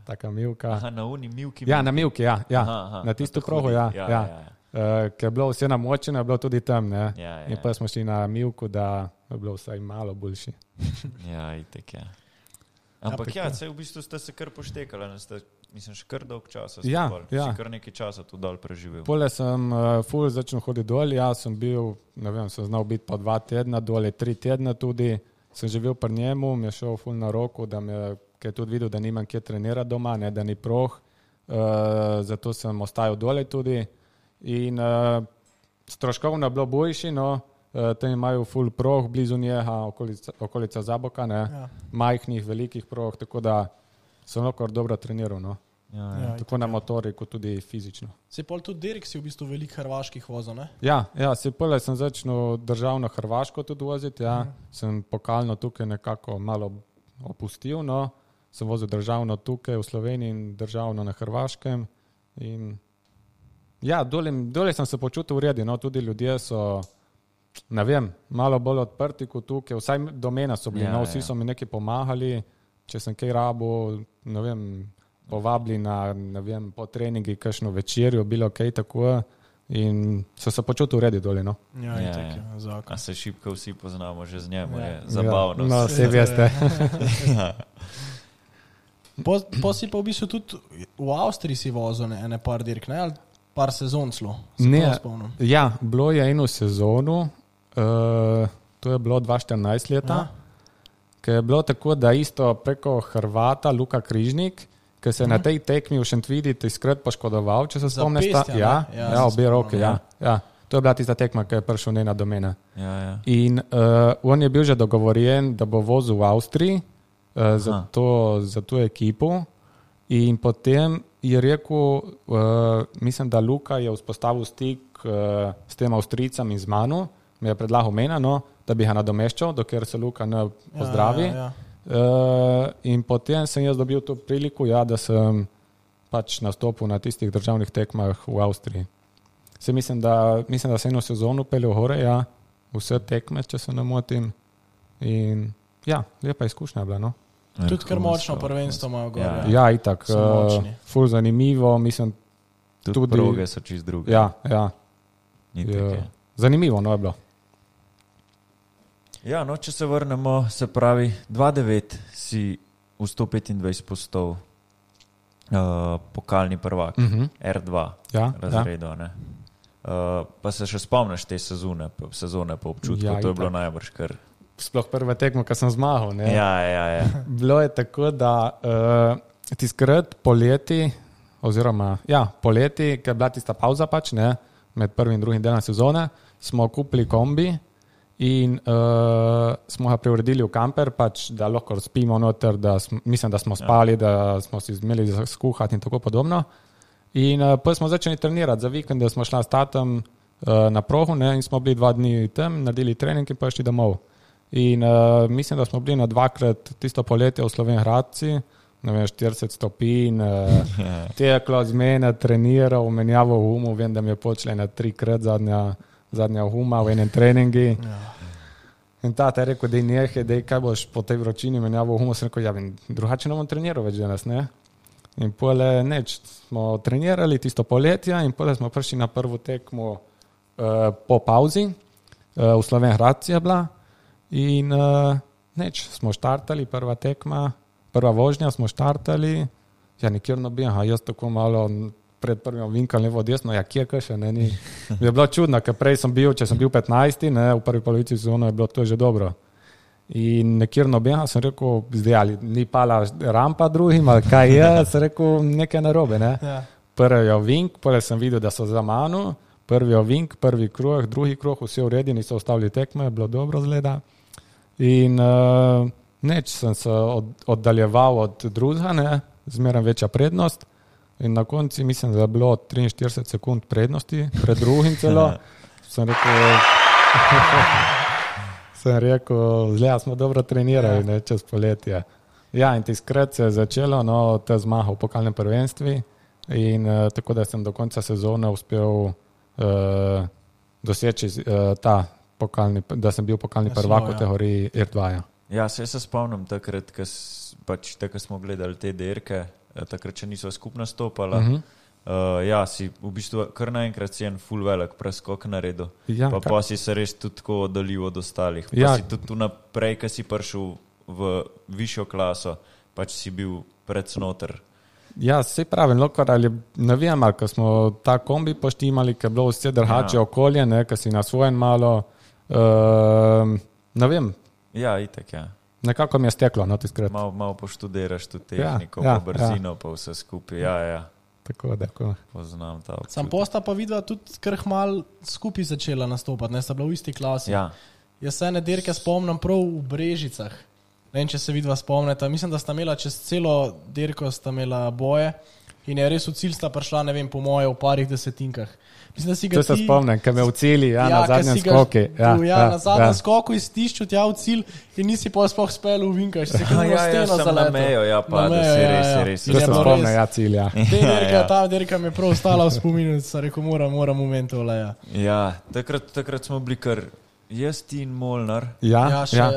taka Milka. Aha, na uni Milki. Ja, na Milki, ja, na tisto krogu, ja. Ker je bilo vse namočeno, je bilo tudi tam, ne. In pa smo šli na Milku, da je bilo vsaj malo boljši. Ja, itek, ja. Ampak ja, v bistvu ste se kar poštekali, mislim, še kar dolg časa. Si kar nekaj časa tu dol preživel. Pole sem ful začel hoditi dol, jaz sem bil, ne vem, sem znal biti pa 2 tedna, dole 3 tedna tudi. Sem živel pri njemu, mi je šel ful na roko, da je tudi videl, da nimam kje trenirati doma, ne, da ni proh, zato sem ostajal dole tudi. In stroškovno je bilo boljši, no, tam imajo ful proh, blizu njega, okolica Zaboka, ne, majhnih, velikih proh, tako da sem lahko dobro treniral, no. Tako na motori, kot tudi fizično. Se pol tudi Derek si v bistvu veliko hrvaških vozil, ne? Ja, se pole sem začel državno Hrvaško tudi voziti, ja. Sem pokalno tukaj nekako malo opustil, no. Sem vozil državno tukaj v Sloveniji in državno na Hrvaškem. In ja, dole sem se počutil v redu, no. Tudi ljudje so, ne vem, malo bolj odprti kot tukaj, vsaj do mene so bili, no. Vsi so mi nekaj pomagali, če sem kaj rabil, ne vem, povabili na, ne vem, po treningi kakšno večerjo, bilo kaj tako in so se počutil redi doli, no. A se šibko vsi poznamo že z njemu, je zabavno. No, vse veste. Po si pa v bistvu tudi v Avstriji si vozil ene par dirk, ne, ali par sezon celo? Ne, ja, bilo je eno sezono, to je bilo 2014 leta, ker je bilo tako, da isto preko Hrvata Luka Križnik, ki se je na tej tekmi v Šentvidi tiskrat poškodoval, če se spomniš. Obe roke, ja. To je bila tista tekma, ki je prišel Nenad do mene. In on je bil že dogovorjen, da bo vozil v Avstriji za to ekipo in potem je rekel, mislim, da Luka je vzpostavil stik s tem Avstrijcem in z mano, mi je predlagal mena, no, da bi ga nadomeščal, dokler se Luka ne pozdravi. In potem sem jaz dobil to priliko, da sem pač nastopil na tistih državnih tekmah v Avstriji. Mislim, da sem eno sezono peljal gore, vse tekme, če se ne motim. In lepa izkušnja je bila, no. Tudi kar močno prvenstvo imajo gore. Ja, itak. Ful zanimivo, mislim. Tudi proge so čist druge. Ja. Zanimivo, no je bilo. Ja, no, če se vrnemo, se pravi, 2-9 si v 125 postal pokalni prvak, R2 razredo, ne. Pa se še spomniš te sezone po občutku, to je bilo najbrž kar... Sploh prve tekmo, ko sem zmagal, ne. Ja. Bilo je tako, da tiskrat poleti, ki je bila tista pauza pač, ne, med prvim in drugim delom sezone, smo kupili kombi in smo ga preuredili v kamper, pač, da lahko spimo noter, mislim, da smo spali, da smo si imeli za skuhati in tako podobno. In pa smo začeli trenirati za vikend, da smo šla s tatom na prohu, ne, in smo bili 2 dni tam, naredili trening in pa šli domov. In mislim, da smo bili na 2krat tisto poletje v Slovenj Gradci, 40 stopinj, teklo z mene, treniral, menjavo humu, vem, da mi je počela na 3krat zadnja huma v enem treningi. In tata je rekel, kaj boš po tej vročini menjavo humu, sem rekel, drugače ne bom treniral več danes, ne. In pole smo trenirali tisto poletje in pole smo prišli na prvo tekmo po pauzi, v Slovenj Gradci je bila. In smo štartali, prva tekma, prva vožnja smo štartali, nikjer noben, jaz tako malo pred prvim vinkal levo desno, kje še, ne, ni. Je bilo čudno, ker prej če sem bil 15, ne, v prvi polovici sezone je bilo to že dobro. In nekjer noben, sem rekel, zdaj ali ni pala rampa drugim, ali kaj je, sem rekel, nekaj narobe, ne. Prvi ovink, potem sem videl, da so za mano, prvi ovink, prvi kruh, drugi kruh, vsi uredi, niso ostavili tekme, je bilo dobro zgleda. In sem se oddaljeval od drugega, ne, zmeraj večja prednost. In na konci mislim, da je bilo 43 sekund prednosti, pred drugim celo. Sem rekel, zgleda, smo dobro trenirali, ne, čez poletje. In tiskrat se je začelo, no, te zmaga v pokalnem prvenstvu. In tako, da sem do konca sezone uspel doseči da sem bil pokalni prvak v kategoriji R2. Ja, se spomnim takrat, ko smo gledali te dirke, takrat, če niso skupno stopala. Si v bistvu kar naenkrat si en ful velik preskok naredil. Pa si se res tudi tako oddalil od ostalih. Pa si tudi tu naprej, ko si prišel v višjo klaso, pač si bil predsnoter. Ja, se pravi, ne vem, ko smo ta kombi poštimali, ko je bilo vse drugače okolje, ko si na svojem malo, ne vem. Ja, itak, Nekako mi je steklo, no, tiskrat. Malo poštudiraš tu tehniko, pa brzino, pa vse skupaj, Tako. Poznam ta občutek. Sam posta pa videla tudi kar malo skupaj začela nastopati, ne, sta bila v isti klasi. Jaz se ene dirke spomnim prav v Brežicah. Ne vem, če se vidva spomnite. Mislim, da sta imela čez celo dirko sta imela boje in je res v cilj sta prišla, ne vem, po moje v parih desetinkah. Mislim, da si ga se spomnim, ker me v cilji, na zadnjem skoku. Na zadnjem skoku iztišču tja v cilj in nisi pa sploh spel v vinkaš. Sem na mejo, res. To se spomnim, cilj, Ta dirka mi je prav ostala v spominu, sa rekel, moram momentov, takrat smo bili kar jaz ti in Molnar. Loša,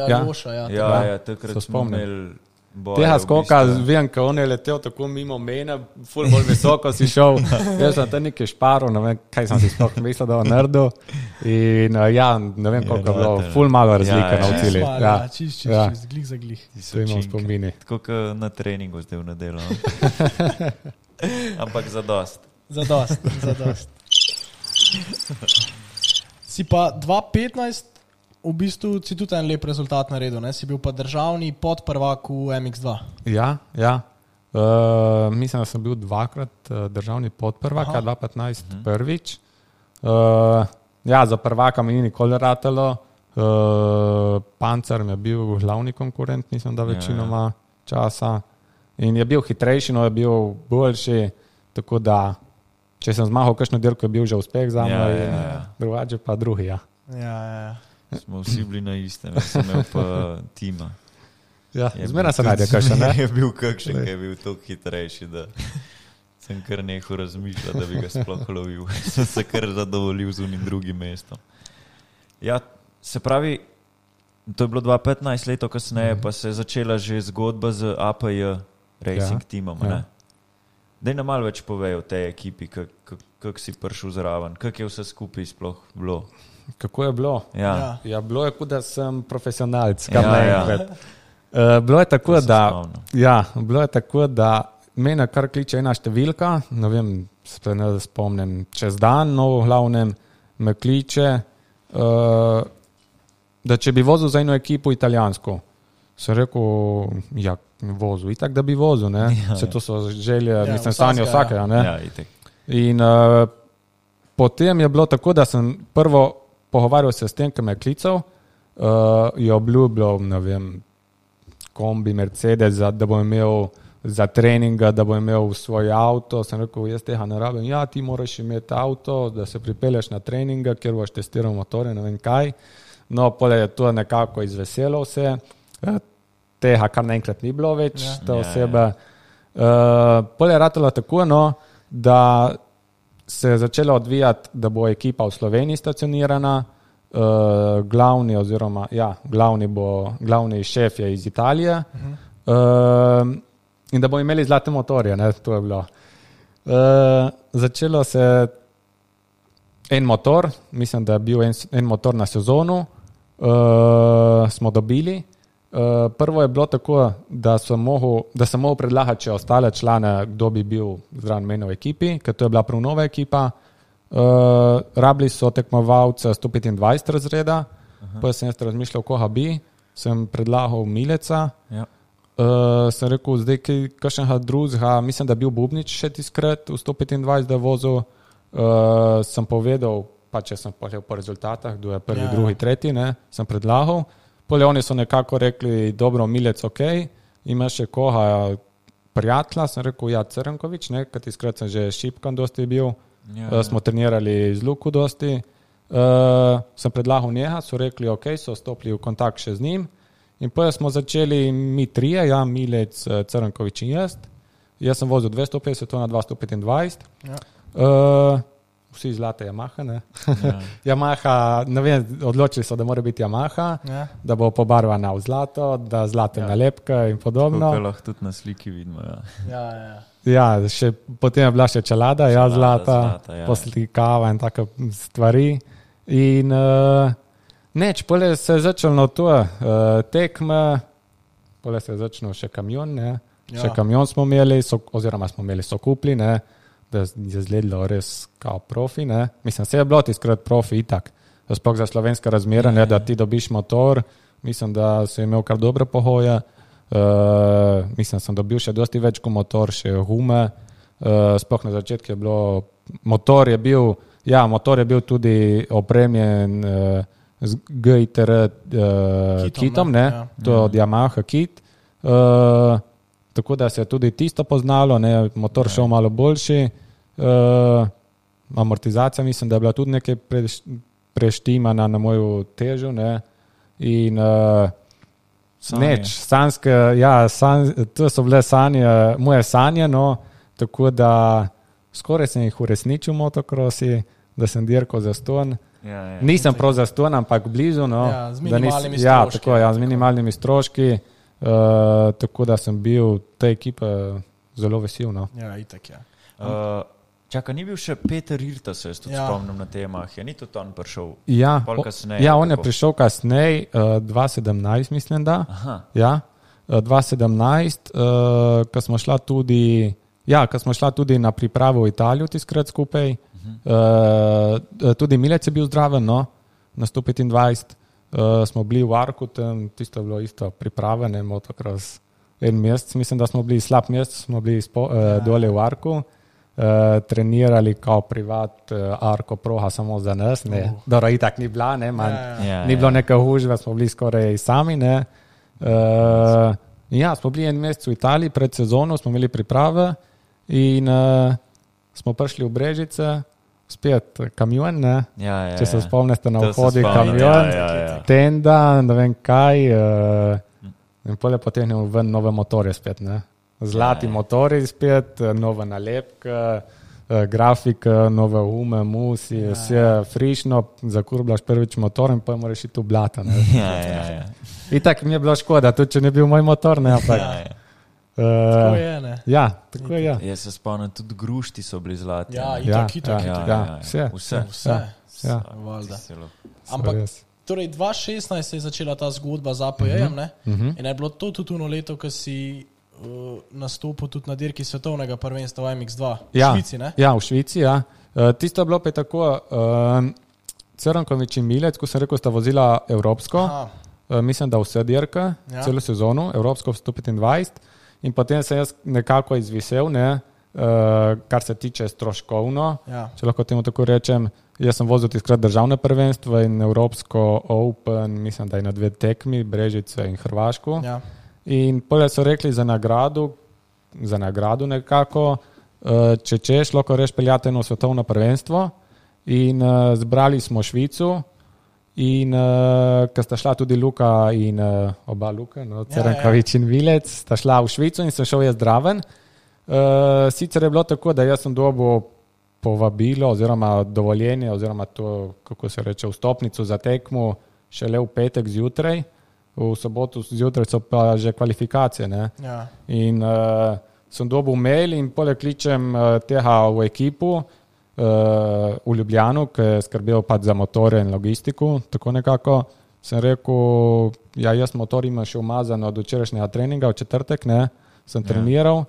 takrat smo imeli boje. Tega skoka, vem, ko on je letel tako mimo mene, ful bolj visoko si šel, jaz sem tam nekaj šparil, ne vem, kaj sem si sploh mislil, da je naredil. In ne vem, koliko je bilo, ful malo razlike na cilji. Čist, glih za glih. To imam spomini. Tako kot na treningu zdaj v nedeljo. Ampak zadost. Si pa 2015 v bistvu si tudi en lep rezultat naredil, ne? Si bil pa državni podprvak v MX2. Ja. Mislim, da sem bil 2krat državni podprvak, 2015 prvič. Za prvaka mi ni nikoli ratalo. Pancer mi je bil glavni konkurent, mislim, da večinoma časa. In je bil hitrejši, no je bil boljši. tako da, če sem zmahal kakšno dirko, je bil že uspeh za moj, drugače pa drugi, ja. Smo vsi bili na istem, sem imel pa tima. Ja, zmeraj se najde kakšen, ne? Je bil kakšen, ki je bil toliko hitrejši, da sem kar nehal razmišljati, da bi ga sploh lovil. Sem se kar zadovoljil z unim drugim mestom. Ja, se pravi, to je bilo 2015 leto kasneje, pa se je začela že zgodba z APJ Racing timom, ne? Daj nam malo več povej o tej ekipi, kak si prišel zraven, kak je vse skupaj sploh bilo? Kako je bilo? Ja, bilo je, kot da sem profesionalc, kar naenkrat. Bilo je tako, da mene kar kliče ena številka, ne vem, se ne spomnim, čez dan, no v glavnem me kliče, da če bi vozil za eno ekipo italijansko. Sem rekel, ja, vozil, itak da bi vozil, ne? Se to so želje, mislim, sanje vsakega, ne? Ja, itak. In potem je bilo tako, da sem prvo pogovarjal se s tem, ki me je klical, je obljubljal, ne vem, kombi, Mercedes, da bo imel za treninga, da bo imel svoj avto. Sem rekel, jaz tega ne rabim. Ja, ti moraš imeti avto, da se pripelješ na treninga, kjer boš testiral motore, ne vem kaj. No, pole je to nekako izveselo vse. Tega kar naenkrat ni bilo več, te osebe. Pole je ratalo tako, no, da se je začelo odvijati, da bo ekipa v Sloveniji stacionirana, glavni šef je iz Italije, in da bo imeli zlate motorje, ne, to je bilo. Začelo se en motor, mislim, da je bil en motor na sezonu, smo dobili. Prvo je bilo tako, da sem mogel predlagati še ostale člane, kdo bi bil zraven mene v ekipi, ker to je bila prav nova ekipa. Rabili so tekmovalce 125 razreda, pa sem jaz razmišljal, koga bi, sem predlagal Mileca, sem rekel, zdaj kakšnega drugega, mislim, da je bil Bubnič še tiskrat v 125, da je vozil, sem povedal, pa če sem pohljal po rezultatah, kdo je prvi, drugi, tretji, ne, sem predlagal. Pole oni so nekako rekli, dobro, Milec, ok, ima še koga prijatelja, sem rekel, ja, Crnkovič, ne, kad tiskrat sem že Šipkan dosti bil, smo trenirali z Luku dosti, sem predlagal njega, so rekli, ok, so stopili v kontakt še z njim in potem smo začeli mi trije, ja, Milec, Crnkovič in jaz sem vozil 250, to na 225, vsi zlate Yamaha, ne? Yamaha, ne vem, odločili so, da mora biti Yamaha, da bo pobarvana v zlato, da zlate nalepke in podobno. Tukaj lahko tudi na sliki vidimo, Ja, še potem je bila še čelada, zlata, poslikava in take stvari. In neč, pole se je začelo to tekme, pole se je začelo še kamion, ne? Še kamion smo imeli, so kupli, ne? Da je zgledalo res kao profi, ne. Mislim, se je bilo tiskrat profi itak. Sploh za slovenske razmere, ne, da ti dobiš motor, mislim, da si imel kar dobre pohoje, mislim, sem dobil še dosti več kot motor, še gume, sploh na začetku je bilo, motor je bil tudi opremljen z GITR kitom, ne, to od Yamaha kit, tako da se je tudi tisto poznalo, ne, motor šel malo boljši, amortizacija mislim, da je bila tudi nekaj preštimana na moju težo, ne, in sanske, to so bile moje sanje, no, tako da skoraj sem jih uresničil motokrosi, da sem dirkal za ston. Nisem prav za ston, ampak blizu, no. Z minimalnimi stroški. Z minimalnimi stroški. Tako da sem bil te ekipe zelo vesel. No. Ja, itak, ja. Čaka, ni bil še Peter Irta, se jaz tudi spomnim na temah, ni tudi on prišel pol kasneje? Ja, on je prišel kasneje, 2017 mislim, da. Ja, 2017, ko smo šla tudi na pripravo v Italijo tiskrat skupaj, tudi Milec je bil zdraven, no, na 125. Smo bili v Arku, tam tisto je bilo isto pripravljene, motocross en mesec, mislim, da smo bili slab mesec, smo bili dole v Arku, trenirali kao privat Arko proha samo za nas, ne, dobro, itak ni bila, ne, ni bilo neka hužba, smo bili skoraj sami, ne, smo bili en mesec v Italiji, pred sezono smo imeli priprave in smo prišli v Brežice, spet kamion, ne? Če se spomnite na vhodi kamion, tenda, ne vem kaj, in potem je ven nove motorje spet, ne? Zlati motorji spet, nova nalepka, grafika, nove ume, musi, vse frišno, zakurblaš prvič motor in pa moraš iti v blata, ne? In tako mi je bilo škoda, tudi če ne bil moj motor, ne, ampak... Tako je, ne? Ja, tako je, ja. Jaz se spomnim, tudi grušti so bili zlati. Vse. Ja. Ampak, torej 2016 se je začela ta zgodba z APJ-jem, ne? In je bilo to tudi ono leto, ko si nastopil tudi na dirki svetovnega prvenstva v MX2 v Švici, ne? Ja, v Švici, ja. Tisto je bilo pa tako, Crnkovič in Milec, ko sem rekel, sta vozila evropsko, mislim, da vse dirke, celo sezono, evropsko 125, in potem sem jaz nekako izvisel, ne, kar se tiče stroškovno, če lahko temu tako rečem. Jaz sem vozil tiskrat državne prvenstvo in evropsko Open, mislim, da je na 2 tekmi, Brežice in Hrvaško. In potem so rekli za nagradu nekako, če češ, lahko reš peljati eno svetovno prvenstvo. In zbrali smo Švico. In ko sta šla tudi Luka in oba Luka, Crnkovič in Milec, sta šla v Švico in sem šel jaz zraven. Sicer je bilo tako, da jaz sem dobil povabilo oziroma dovoljenje oziroma to, kako se reče, vstopnico za tekmo šele v petek zjutraj, v soboto zjutraj so pa že kvalifikacije. Ne? In sem dobil mail in poleg kličem tega v ekipu, v Ljubljanu, ki je skrbel pač za motore in logistiko, tako nekako sem rekel, ja, jaz motor imam še umazan od včerajšnjega treninga, v četrtek, ne, sem treniral,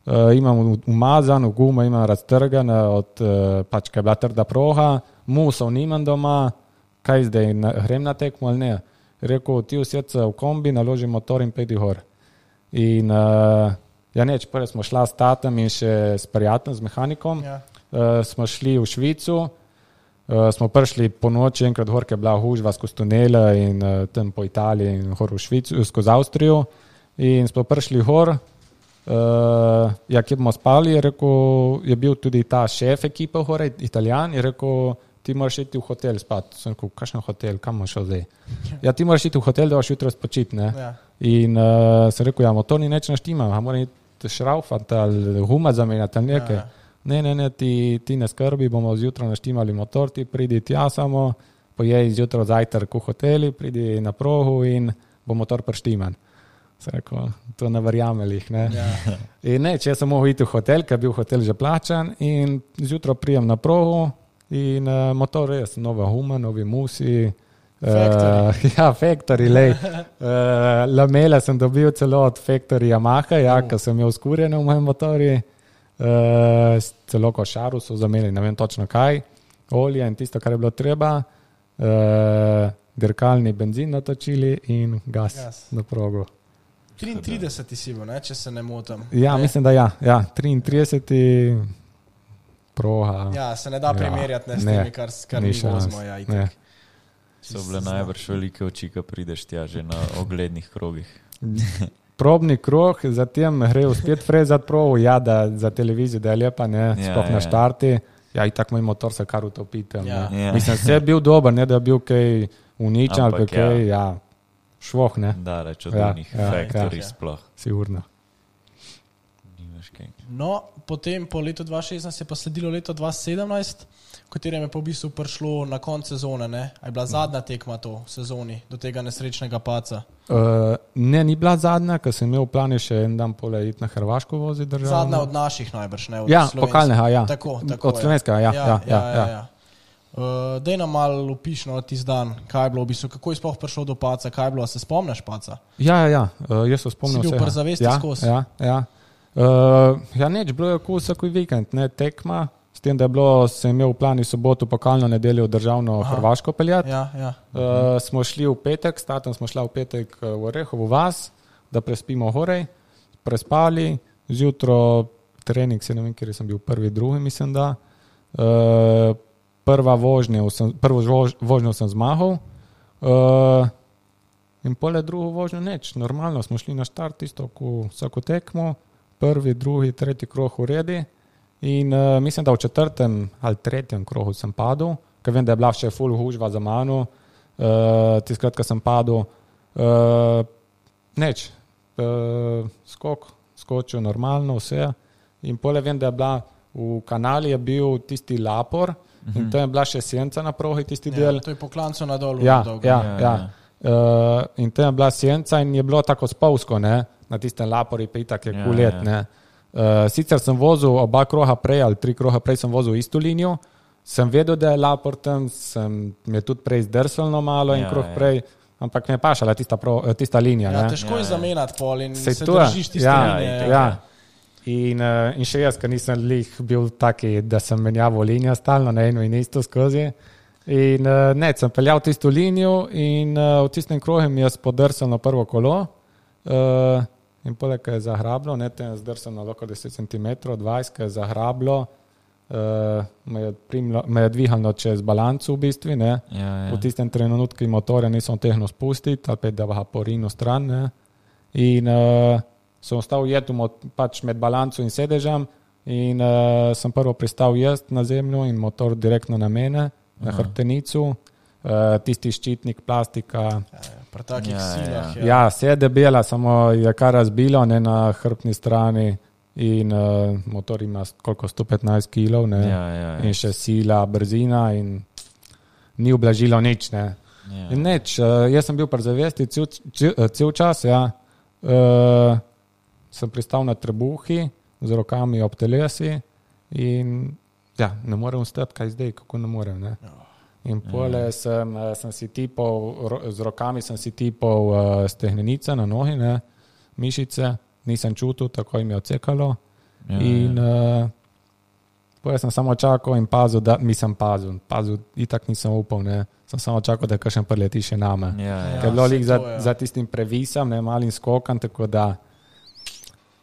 imam umazan, gumo imam raztrgan, od pač, kaj je bila trda proga, musov nimam doma, kaj zdaj, grem na tekmo ali ne. Rekel, ti usjed se v kombi, naloži motor in pedi gor. In ja, neč, prvi smo šla s tatem in še s prijateljem, z mehanikom, smo šli v Švico, smo prišli po noči enkrat gor, ki je bila hužva skozi tunele in tam po Italiji in gor v Švico, skozi Avstrijo in smo prišli gor, ja, kje bomo spali, je rekel, je bil tudi ta šef ekipa gor, Italijan, je rekel, ti moraš iti v hotel spati. Sem rekel, kakšen hotel, kam boš šel zdaj? Ja, ti moraš iti v hotel, da boš jutro spočiti, ne? In sem rekel, ja, motor ni neč naštima, moram iti šraufati ali guma zamenjati ali nekaj. Ne, ti ne skrbi, bomo zjutraj naštimali motor, ti pridi tja samo, pojej zjutraj zajtrk v hoteli, pridi na progu in bo motor preštiman. Sem rekel, to ne verjamelih, ne. In ne, če sem mogel iti v hotel, ker je bil hotel že plačan in zjutraj prijem na progu in motor res, nova guma, novi musi, Factory, lej. Lamele sem dobil celo od Factory Yamaha, ja, ker sem imel skurjene v mojem motorju. Celo košaru so zamenili, ne vem točno kaj, olje in tisto, kar je bilo treba, dirkalni benzin natočili in gas na progu. 33 si bil, ne, če se ne motim. Ja, mislim, da ja, 33 proga. Ja, se ne da primerjati s temi, kar mi vozimo. Ja, so bile najbrž velike oči, ko prideš tja že na oglednih krogih. Probni krog, zatem grejo spet frezati provo, ja, da za televizijo, da je lepa, ne, sploh na štarti. Ja, in tako moj motor se kar utopite. Mislim, vse je bil dober, ne, da je bil kaj uničen ali kaj, ja, švoh, ne. Da, reč od njih Factory sploh. Sigurno. No, potem po letu 2016 je pa sledilo leto 2017, v katerem je pa v bistvu prišlo na konc sezone, ne? A je bila zadnja tekma to v sezoni, do tega nesrečnega paca? Ne, ni bila zadnja, ker sem imel v planu še en dan pole iti na Hrvaško voziti državno. Zadnja od naših najbrž, ne? Od ja, pokalnega, ja. Tako, od slovenskega, ja. Dej nam malo opišno tisti dan, kaj je bilo v bistvu, kako je sploh prišlo do paca, kaj je bilo, a se spomniš paca? Ja, jaz se spomnim vsega. Si bil przavesti skozi? Ja. Ja, neč, bilo je vsak vikend, ne, tekma, s tem, da je bilo, sem imel v plani soboto, pokalno nedeljo državno Hrvaško peljati. Smo šli v petek, statem smo šla v petek v Orehovo vas, da prespimo horej, prespali, zjutro trening, se ne vem, kjer sem bil prvi, drugi, mislim da. Prvo vožnjo sem zmahal in pole drugo vožnjo neč. Normalno smo šli na štart, isto, ko vsako tekmo, prvi, drugi, tretji krog uredi In mislim, da v 4. ali 3. krogu sem padel, ker vem, da je bila še ful hužva za mano. Tiskrat, ko sem padel, skočil normalno vse. In pole vem, da je bila v kanali je bil tisti lapor in tam je bila še senca na progi, tisti del. To je po klancu na dolu. Ja. In tam je bila senca in je bilo tako spolsko, ne? Na tistem lapori pa itak je kulet. Sicer sem vozil oba kroha prej ali 3 kroha prej sem vozil isto linijo, sem vedel, da je lapor tam, mi je tudi prej zdrsalno malo in krog prej, ampak me je pašala tista linija. Težko je zamenjati pol in se držiš tiste linije. In še jaz, ker nisem bil taki, da sem menjaval linijo stalno na eno in isto skozi. In sem peljal tisto linijo in v tistem krogu mi je spodrsalo prvo kolo in poleg je zahrablo, tem je zdrsalo lahko 10 cm, 20, je zahrablo, me je dvihalo čez balancu v bistvu, v tistem trenutku motorja nisem tehno spustiti, ali pa da ga porinu stran, in sem ostal pač med balancu in sedežem in sem prvo pristal jaz na zemlju in motor direktno na mene, na hrbtenicu, tisti ščitnik, plastika. Pri takih silah. Ja, vse je debela, samo je kar razbilo, na hrbtni strani in motor ima koliko 115 kilov, in še sila, brzina in ni ublažilo nič, In nič, jaz sem bil pri zavesti cel čas, sem pristal na trebuhi z rokami ob telesi in ne morem stati, kaj zdaj, kako ne morem, In pole sem si tipal, z rokami sem si tipal stehnenice na nohi, mišice, nisem čutil, tako jim je odsekalo. In pole sem samo čakal in pazil, itak nisem upal, sem samo čakal, da kakšen preleti še name. Ker je bilo za tistim previsom, malim skokan, tako da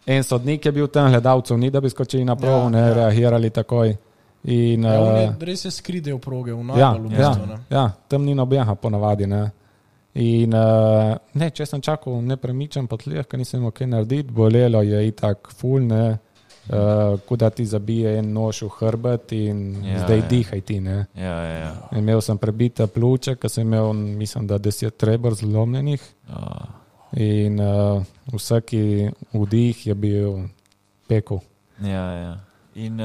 en sodnik je bil tam, gledalcev ni, da bi skočili na progo, reagirali takoj. In, res se skride v proge, v najbolj v bistvu. Tam ni nobenega ponavadi. In če sem čakal nepremičen po tleh, ker nisem imel kaj narediti, bolelo je itak ful, kuda ti zabije en nož v hrbet in zdaj dihaj ti. Imel sem prebite pljuče, ker sem imel, mislim, da 10 rebr zlomljenih in vsaki vdih je bil pekel. In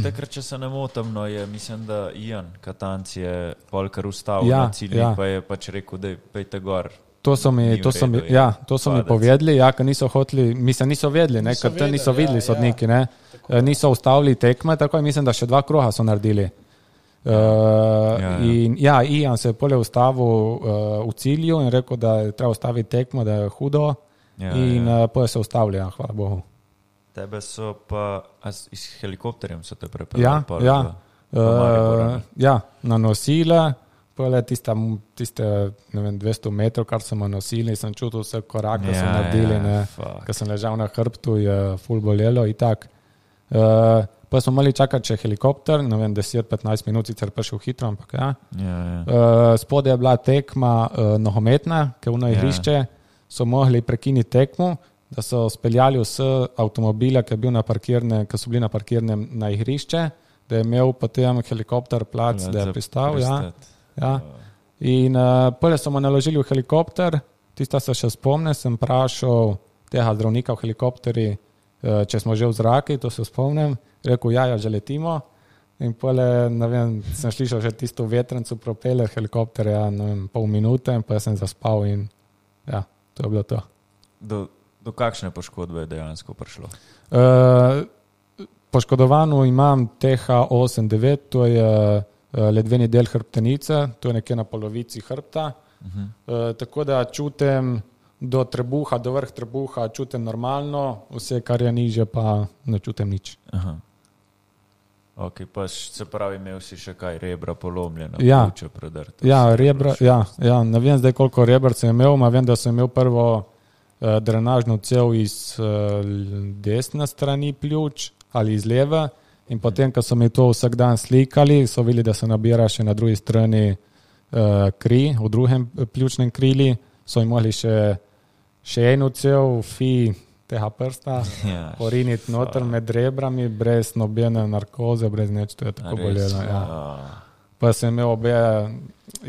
takrat, če se ne motim, je, mislim, da Ian Katanc je polkar ustavil na ciljih, pa je pač rekel, da pejte gor. To so mi povedali, ker niso hoteli, niso vedeli, ker tam niso videli sodniki, niso ustavili tekme, tako je, mislim, da še 2 kroha so naredili. In Ian se je polje ustavil v cilju in rekel, da je treba ustaviti tekmo, da je hudo in polje se ustavili, hvala Bogu. Tebe so pa iz helikopterjem so te prepeljali? Na nosile, pole tiste 200 metrov, kar smo nosili, sem čutil vse korak, ki so naredili, ker sem ležal na hrbtu, je ful bolelo in tak. Pa smo morali čakati še helikopter, 10-15 minut, sicer prišel hitro, ampak spodaj je bila tekma nogometna, ker v igrišče so mogli prekiniti tekmo, da so speljali vse avtomobile, ki so bili na parkirnem na igrišče, da je imel potem helikopter plac, da je pristal. In prve so mu naložili v helikopter, tista se še spomne, sem vprašal tega zdravnika v helikopteri, če smo že v zraki, to se spomnim, rekel, že letimo. In pole, sem slišal že tisto vetrencu propeler helikopterja, pol minute, in pa sem zaspal in to je bilo to. Do kakšne poškodbe je dejansko prišlo? Poškodovano imam TH89, to je ledveni del hrbtenice, to je nekje na polovici hrbta. Tako da čutim do trebuha, do vrh trebuha, čutim normalno, vse, kar je niže, pa ne čutim nič. Ok, pa se pravi, imel si še kaj, rebra polomljena, pljuča predrta. Rebra, ne vem zdaj, koliko rebr sem imel, vem, da sem imel prvo drenažno cev iz desne strani pljuč ali iz leve in potem, ko so mi to vsak dan slikali, so videli, da se nabira še na drugi strani kri, v drugem pljučnem krili, so mi mogli še eno cev, tega prsta, poriniti noter med rebrami, brez nobene narkoze, brez nič, to je tako bolelo. Ja. Pa sem imel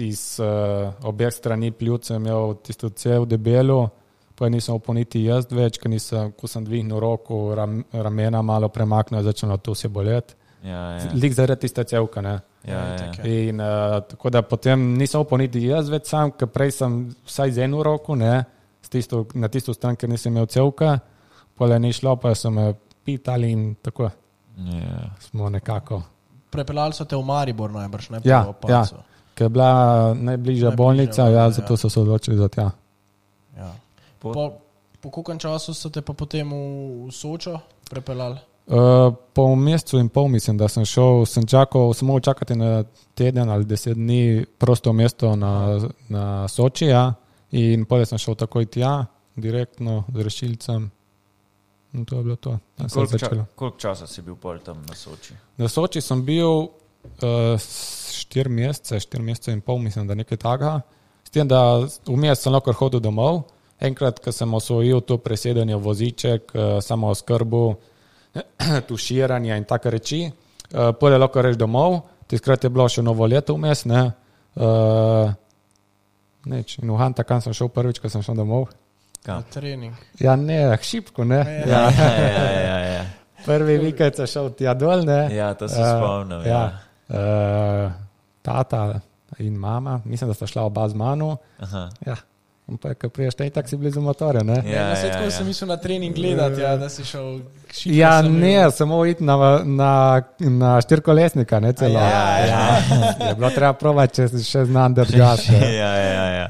iz obeh strani pljuce, imel tisto cev debelo, pa nisem oponiti jaz več, ko sem dvignil roko, ramena malo premaknil, začelo to se boleti. Lik zaradi tiste cevka, ne. In tako da potem nisem oponiti jaz več sam, ker prej sem vsaj z eno roko, ne, na tisto stran, ker nisem imel cevka, pole ni šlo, pa so me pitali in tako smo nekako. Prepeljali so te v Maribor najbrž, ne? Ja, ker je bila najbližja bolnica, zato so se odločili za tja. Ja. Po koliko času so te pa potem v Sočo prepeljali? Po mesecu in pol mislim, da sem šel, sem moral čakati na teden ali 10 dni prosto mesto na Soči, in potem sem šel takoj tja, direktno z rešilcem. In to je bilo to. Koliko časa si bil pol tam na Soči? Na Soči sem bil 4 mesece in pol, mislim, da nekaj takega. S tem, da vmes sem lahko hodil domov. Enkrat, ko sem osvojil to presedanje v voziček, samo oskrbu, tuširanje in take reči, potem lahko reš domov. Tiskrat je bilo še novo leto vmes, ne. Neč. In v Hantakan sem šel prvič, ko sem šel domov. Na trening. Ja, ne, šipko, ne. Ja. Prvi vikend sem šel tja dol, ne. Ja, to se spomnim, tata in mama, mislim, da sta šla oba z mano. Ja. In pa, ko priješ taj, tak si blizu motorja, ne? Na svetko sem mislil na trening gledati, da si šel šipko. Ja, ne, samo iti na štirkolesnika, ne celo. Je bilo treba provati, če še znam držati. Ja.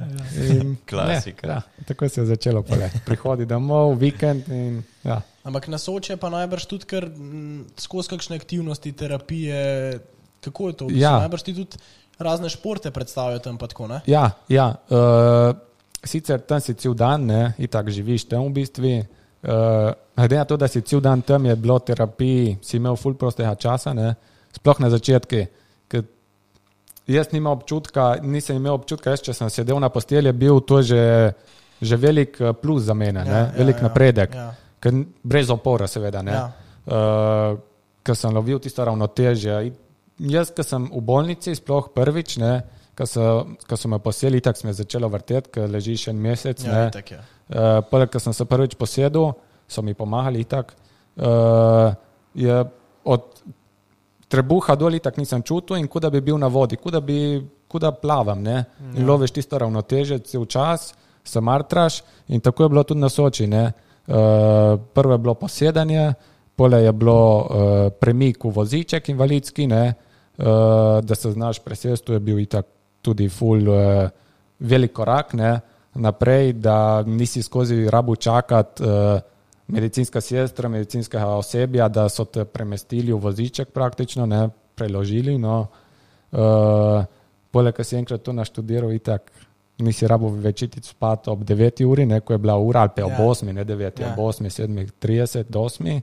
Klasika. Tako se je začelo pole. Prihodi domov, vikend in ja. Ampak na Soče pa najbrž tudi kar skozi kakšne aktivnosti, terapije, kako je to? Najbrž ti tudi razne športe predstavljajo tam pa tako, ne? Ja. Sicer tam si cel dan, ne, itak živiš tam v bistvu. Glede na to, da si cel dan tam, je bilo terapiji, si imel ful prostega časa, ne, sploh na začetki. Jaz nisem imel občutka, če sem sedel na postelji, je bil to že velik plus za mene, velik napredek. Brez opora seveda, ne. Ker sem lovil tisto ravnotežje. Jaz, ko sem v bolnici, sploh prvič, ne, ko so me poseli, tako sem je začelo vrteti, ker ležiš en mesec. Poleg, ko sem se prvič posedel, so mi pomagali itak. Je od trebuha dol itak nisem čutil in kuda bi bil na vodi, kuda plavam, ne. In loviš tisto ravnoteže cel čas, se martraš in tako je bilo tudi na Soči, ne. Prvo je bilo posedanje, pole je bilo premik v voziček invalidski, ne. Da se znaš presesti, to je bil itak tudi ful velik korak, ne, naprej, da nisi skozi rabu čakati medicinska sestra, medicinskega osebja, da so te premestili v voziček praktično, ne, preložili, no. Poleg, ko si enkrat to naštudiral, itak nisi rabu večiti spati ob 9 uri, ne, ko je bila ura, ali pa ob 8, ne 9, ob 8, 7:30 do 8.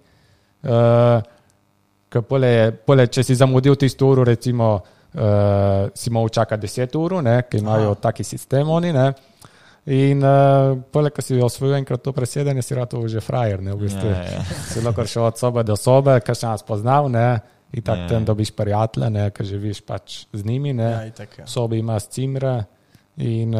Ker pole, če si zamudil tisto uro, recimo, si moral čakati 10 ur, ne, ki imajo taki sistem oni, ne. In pole, ko si osvojil enkrat to presedanje, si rado že frajer, ne, v bistvu. Si lahko šel od sobe do sobe, ker še nas poznal, ne, in tak tam dobiš prijatelje, ne, ker živiš pač z njimi, ne. V sobi imaš cimre in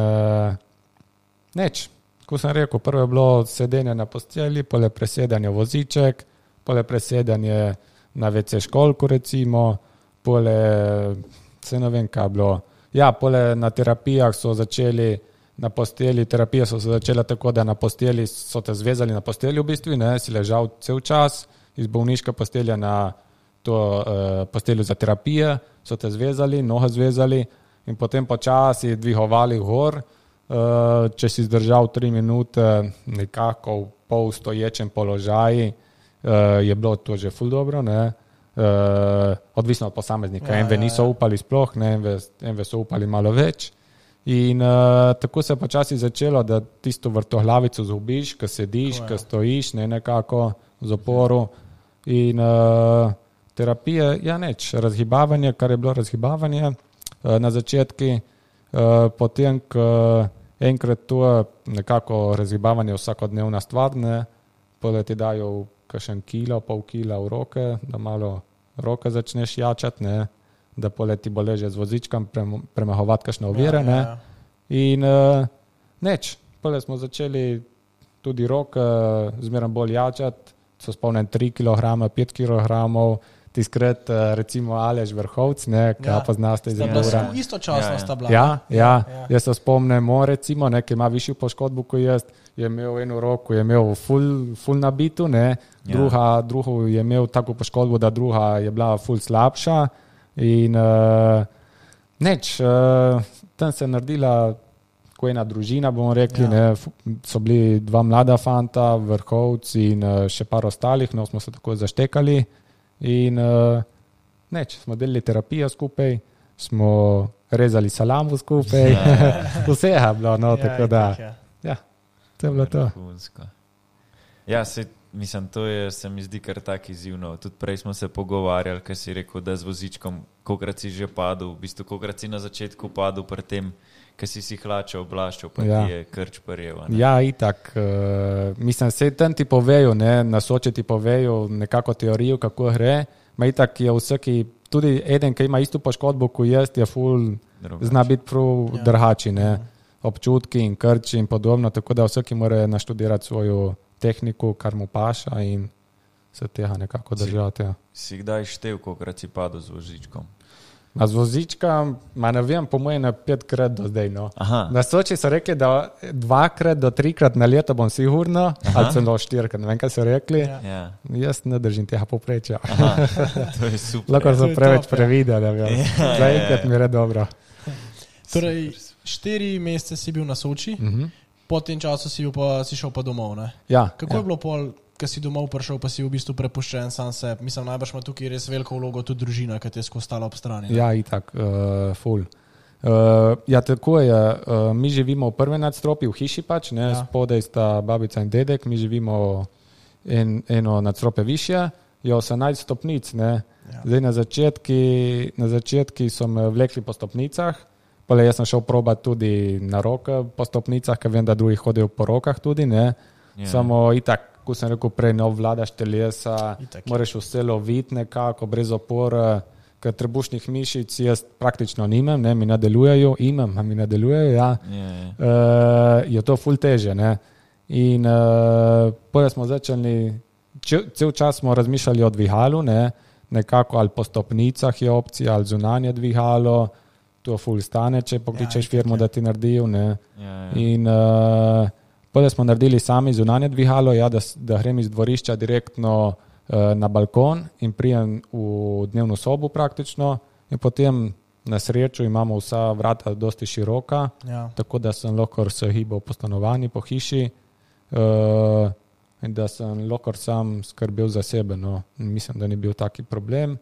neč. Ko sem rekel, prvo je bilo sedenje na posteli, pole presedanje voziček, pole presedanje na WC školku, recimo, pole, se ne vem, kaj bilo. Ja, pole na terapijah so začeli, na posteli, terapije so se začele tako, da na posteli so te zvezali na posteli v bistvu, ne, si ležal cel čas, iz bolniške postelje na to posteljo za terapije, so te zvezali, noge zvezali in potem počasi dvihovali gor, če si zdržal 3 minute nekako v pol stoječem položaju, je bilo to že ful dobro, ne. Odvisno od posameznika. Enve niso upali sploh, ne, enve so upali malo več. In tako se je počasi začelo, da tisto vrtoglavico zgubiš, ko sediš, ko stojiš, ne, nekako z oporu. In terapije, ja neč, razgibavanje, kar je bilo razgibavanje na začetki, potem, ko enkrat to nekako razgibavanje vsakodnevna stvar, ne, potem ti dajo kakšen kilo, pol kila v roke, da malo roke začneš jačati, ne, da potem ti bo leže z vozičkom premahovati kakšne ovire, ne. In potem smo začeli tudi roke zmeraj bolj jačati, so spomnem 3 kg, 5 kg, tiskrat recimo Aleš Vrhovc, kaj pa znaste iz Emura. Istočasno sta bila. Ja. Jaz se spomnem, recimo, ki ima višjo poškodbo kot jaz, je imel eno roko, je imel ful nabitu, drugo je imel tako poškodbo, da druga je bila ful slabša in tam se je naredila ko ena družina, bomo rekli, so bili 2 mlada fanta, Vrhovc in še par ostalih, smo se tako zaštekali in smo delali terapijo skupaj, smo rezali salamo skupaj, vse je bilo, tako da, to je bilo to. Ja, mislim, to je, se mi zdi kar tak izzivno. Tudi prej smo se pogovarjali, kaj si rekel, da z vozičkom, kolikrat si že padel, v bistvu kolikrat si na začetku padel pri tem, kaj si hlače oblaščal, pa ti je krč parjeva. Ja, itak. Mislim, se tam ti povejo, na Soči ti povejo nekako teorijo, kako gre, ma itak je vsaki, tudi eden, ki ima isto poškodbo, ko jaz, je ful, zna biti prav drhači, občutki in krči in podobno, tako da vsaki mora naštudirati svojo tehniku, kar mu paša in se tega nekako držati. Si kdaj štev, kolikrat si padel z vozičkom? A z vozičkom, ne vem, po mojem 5krat do zdaj. Na Soči so rekli, da 2 do 3 na leto bom sigurno, ali celo 4, ne vem, kaj so rekli. Jaz ne držim tega poprečja. To je super. Lahko so preveč prevideli, zaenkrat mi je dobro. Torej, 4 mesece si bil na Soči, po tem času si šel pa domov, ne? Kako je bilo pol, ko si domov prišel, pa si v bistvu prepuščen sam se? Mislim, najbrž ima tukaj res veliko vlogo tudi družina, ki te je skostala ob strani. Ne? Ja, itak, ful. Tako je, mi živimo v prvem nadstropju, v hiši pač, spodaj sta babica in dedek, mi živimo eno nadstropje više, je 18 stopnic, Zdaj na začetki so me vlekli po stopnicah, pole jaz sem šel probati tudi na roke po stopnicah, ker vem, da drugi hodijo po rokah tudi, samo itak, ko sem rekel prej, ne obvladaš telesa, moraš vse loviti nekako, brez opora, ker trebušnih mišic jaz praktično nimam, mi ne delujejo, mi ne delujejo, je to ful teže, in potem smo začeli, cel čas smo razmišljali o dvigalu, nekako ali po stopnicah je opcija, ali zunanje dvigalo, to ful stane, če pokličeš firmo, da ti naredijo, in potem smo naredili sami zunanje dvigalo, da grem iz dvorišča direktno na balkon in prijem v dnevno sobo praktično in potem na srečo imamo vsa vrata dosti široka, tako da sem lahko se hibal po stanovanju, po hiši in da sem lahko sam skrbel za sebe. Mislim, da ni bil taki problem.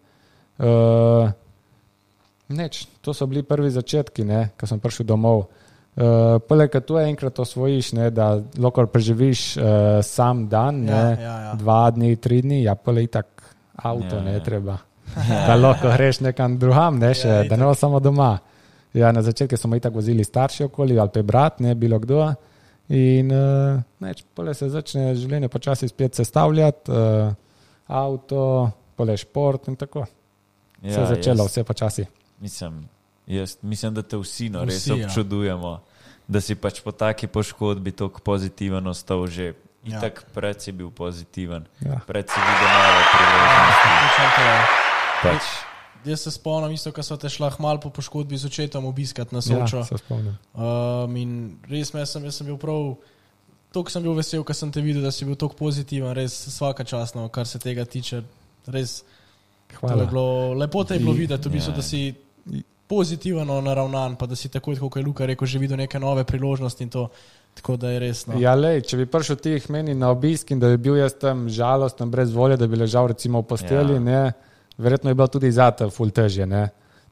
To so bili prvi začetki, ko sem prišel domov. Poleg tu enkrat osvojiš, da lahko preživiš sam dan, 2 dni, 3 dni, poleg itak avto ne treba. Da lahko greš nekam drugam, da ne bo samo doma. Na začetku smo itak vozili starši okoli ali pa brat, bilo kdo. In poleg se začne življenje počasi spet sestavljati, avto, poleg šport in tako. Se je začelo vse počasi. Mislim, da te vsi res občudujemo, da si pač po taki poškodbi toliko pozitiven ostal že. Itak pred si bil pozitiven, pred si videl nove priložnosti. Jaz se spomnim isto, ko so te šla malo po poškodbi z očetom obiskati na Sočo. Se spomnim. In res jaz sem bil prav, toliko sem bil vesel, ko sem te videl, da si bil toliko pozitiven, res svaka častno, kar se tega tiče, res. Hvala. Lepo te je bilo videti, v bistvu, da si pozitivno naravnan, pa da si tako, kot je Luka rekel, že videl neke nove priložnosti in to, tako da je res. Če bi prišel tih meni na obisk in da bi bil jaz tam žalosten, brez volje, da bi ležal recimo v posteli, verjetno je bilo tudi zate ful težje,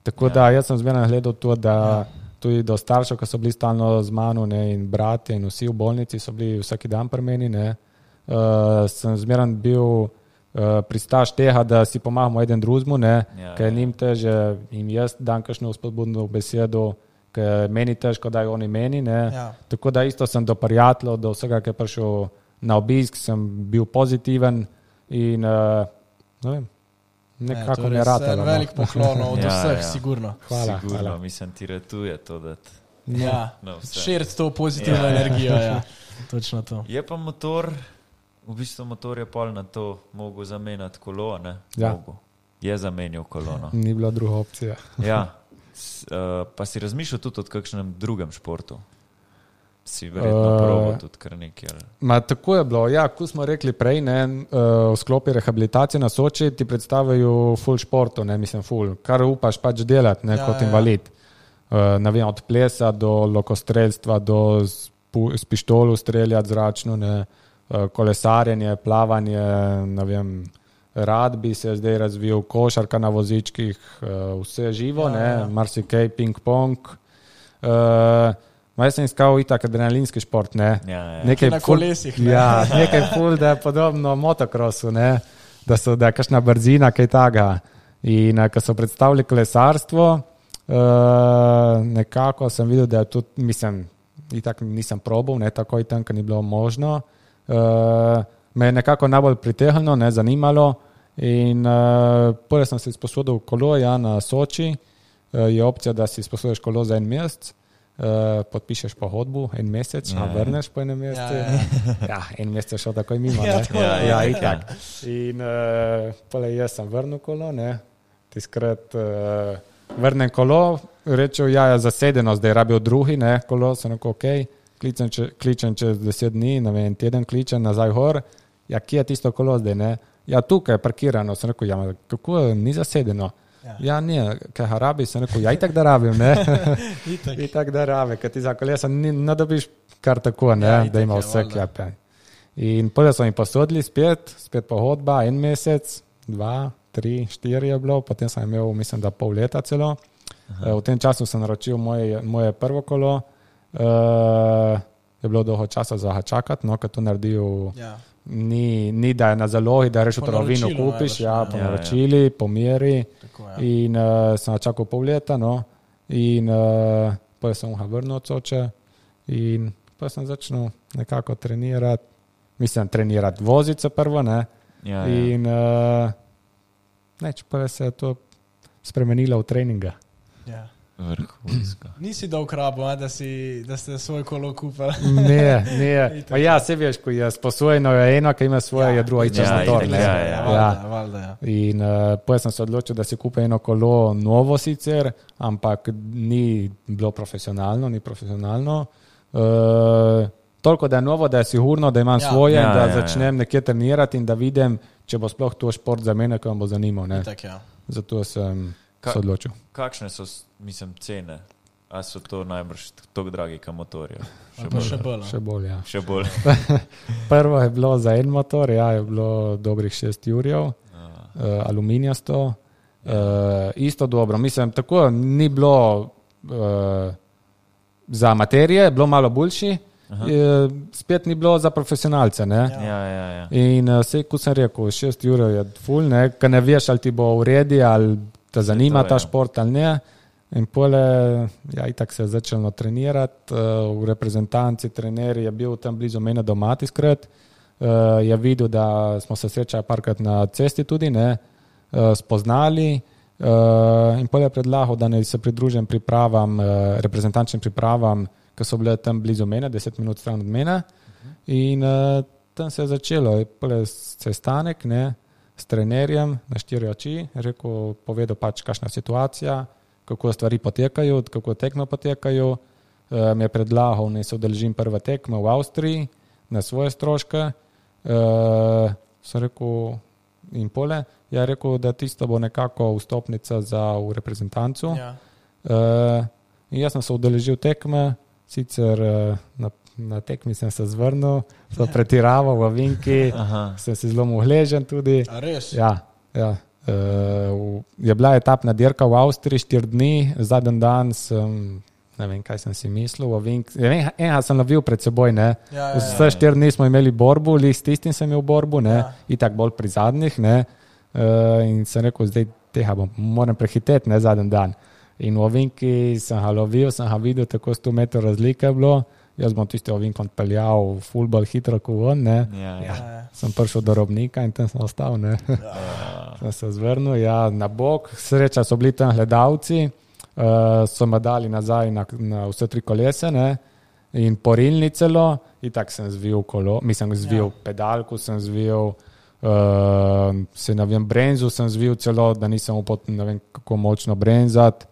Tako da jaz sem zmeraj gledal to, da tudi do staršev, ki so bili stalno z mano in bratje in vsi v bolnici so bili vsaki dan pri meni, sem zmeraj bil pristaš tega, da si pomagamo eden drugemu, ker njim teže in jaz dam kakšno spodbudno besedo, ker meni težko dajo oni meni, Tako da isto sem do prijateljev, do vsega, ki je prišel na obisk, sem bil pozitiven in ne vem, nekako mi je ratalo. Velik poklon od vseh, sigurno. Hvala. Mislim, ti ratuje to, da širiti to pozitivno energijo, točno to. Je pa motor, v bistvu motor je pol na to mogel zamenjati kolo, ne? Je zamenjal kolo, no. Ni bila druga opcija. Pa si razmišljal tudi o kakšnem drugem športu? Si verjetno probal tudi kar nekaj. Tako je bilo, ko smo rekli prej, v sklopi rehabilitacije na Soči ti predstavljajo full športu, mislim full, kar upaš pač delati kot invalid. Ne vem, od plesa do lokostrelstva, do s pištolo streljati zračno, kolesarjenje, plavanje, ne vem, rad bi se zdaj razvil, košarka na vozičkih, vse živo, marsikaj, ping-pong. Jaz sem iskal itak adrenalinski šport, Nekaj na kolesih, nekaj ful, da je podobno motokrosu, da je kakšna brzina, kaj taga. In ko so predstavili kolesarstvo, nekako sem videl, da je tudi, itak nisem probal, takoj tam, ko ni bilo možno. Me je nekako najbolj pritehnilo, zanimalo in prvi sem se izposodil kolo, na Soči, je opcija, da si izposodiš kolo za en mesec, podpišeš pogodbo, en mesec, vrneš po enem mesecu. En mesec je šel takoj mimo. Itak. In jaz sem vrnil kolo, tiskrat vrnem kolo, rečel, je zasedeno, zdaj rabijo drugi, kolo, sem rekel, okej, kličem čez 10 dni, ne vem, teden kličem nazaj gor, kje je tisto kolo zdaj, tukaj je parkirano, sem rekel, kako ni zasedeno? Ne, kaj ga rabi, sem rekel, itak da rabim, itak da rabi, ker ti za kolesa ne dobiš kar tako, da ima vse klepe. In potem so mi posodili spet pogodba, en mesec, 2, 3, 4 je bilo, potem sem imel, mislim, da pol leta celo. V tem času sem naročil moje prvo kolo, je bilo dolgo časa za ga čakati, ker to naredil, ni da je na zalogi, da reš v trgovino kupiš, po naročili, po meri. In sem čakal pol leta, in potem sem ga vrnil od Soče in potem sem začel nekako trenirati, voziti se prvo, in pa se je to spremenilo v treninga. Vrhunsko. Nisi dolg rabo, da ste svoj kolo kupili. Ne. Se veš, ko je sposojeno eno, ki ima svoje, je drugo ičas motor. In potem sem se odločil, da si kupim eno kolo novo sicer, ampak ni bilo profesionalno, toliko, da je novo, da je sigurno, da imam svoje, da začnem nekje trenirati in da vidim, če bo sploh to šport za mene, ki vam bo zanimal. Zato sem se odločil. Kakšne so, cene? A so to najbrž tako dragi, kot motorje? Še bolj. Še bolj. Prvo je bilo za en motor, je bilo dobrih 6 jurjev, aluminijasto. Isto dobro. Tako ni bilo za materije, bilo malo boljši, spet ni bilo za profesionalce. In vse, kot sem rekel, 6 jurjev je ful, ker ne veš, ali ti bo v redi, ali te zanima ta šport ali ne. In pole, itak se je začelo trenirati, v reprezentanci trener je bil tam blizu mene doma tiskrat, je videl, da smo se srečali parkrat na cesti tudi, spoznali in pole je predlagal, da ne se pridružim pripravam, reprezentančnim pripravam, ki so bile tam blizu mene, 10 minut stran od mene in tam se je začelo, pole sestanek, s trenerjem na 4 oči, povedal pač, kakšna situacija, kako stvari potekajo, kako tekme potekajo. Mi je predlagal, da se udeležim prve tekme v Avstriji na svoje stroške. Sem rekel, in pole, je rekel, da tisto bo nekako vstopnica v reprezentancu. In jaz sem se udeležil tekme, sicer na tekmi sem se zvrnil, sem pretiraval v vinki, sem se zelo mohležen tudi. A res? Ja. Je bila etapna dirka v Avstriji 4 dni, zadnji dan sem, ne vem, kaj sem si mislil, enega sem lovil pred seboj, vse 4 dni smo imeli borbu, s tistim sem imel borbu, itak bolj pri zadnjih, in sem rekel, zdaj tega moram prehiteti, zadnji dan. In v ovinki sem ga lovil, sem ga videl, tako 100 metrov razlike je bilo jaz bom tisti ovinkon peljal fulbol hitro kot on, ne. Sem prišel do Robnika in tam sem ostal, ne. Sem se zvrnil, na bok, sreča so bili tam gledalci, so me dali nazaj na vse 3 kolese, ne, in porilni celo, in tak sem zvil kolo, zvil pedalku, sem zvil, brenzu sem zvil celo, da nisem upal, ne vem, kako močno brenzati.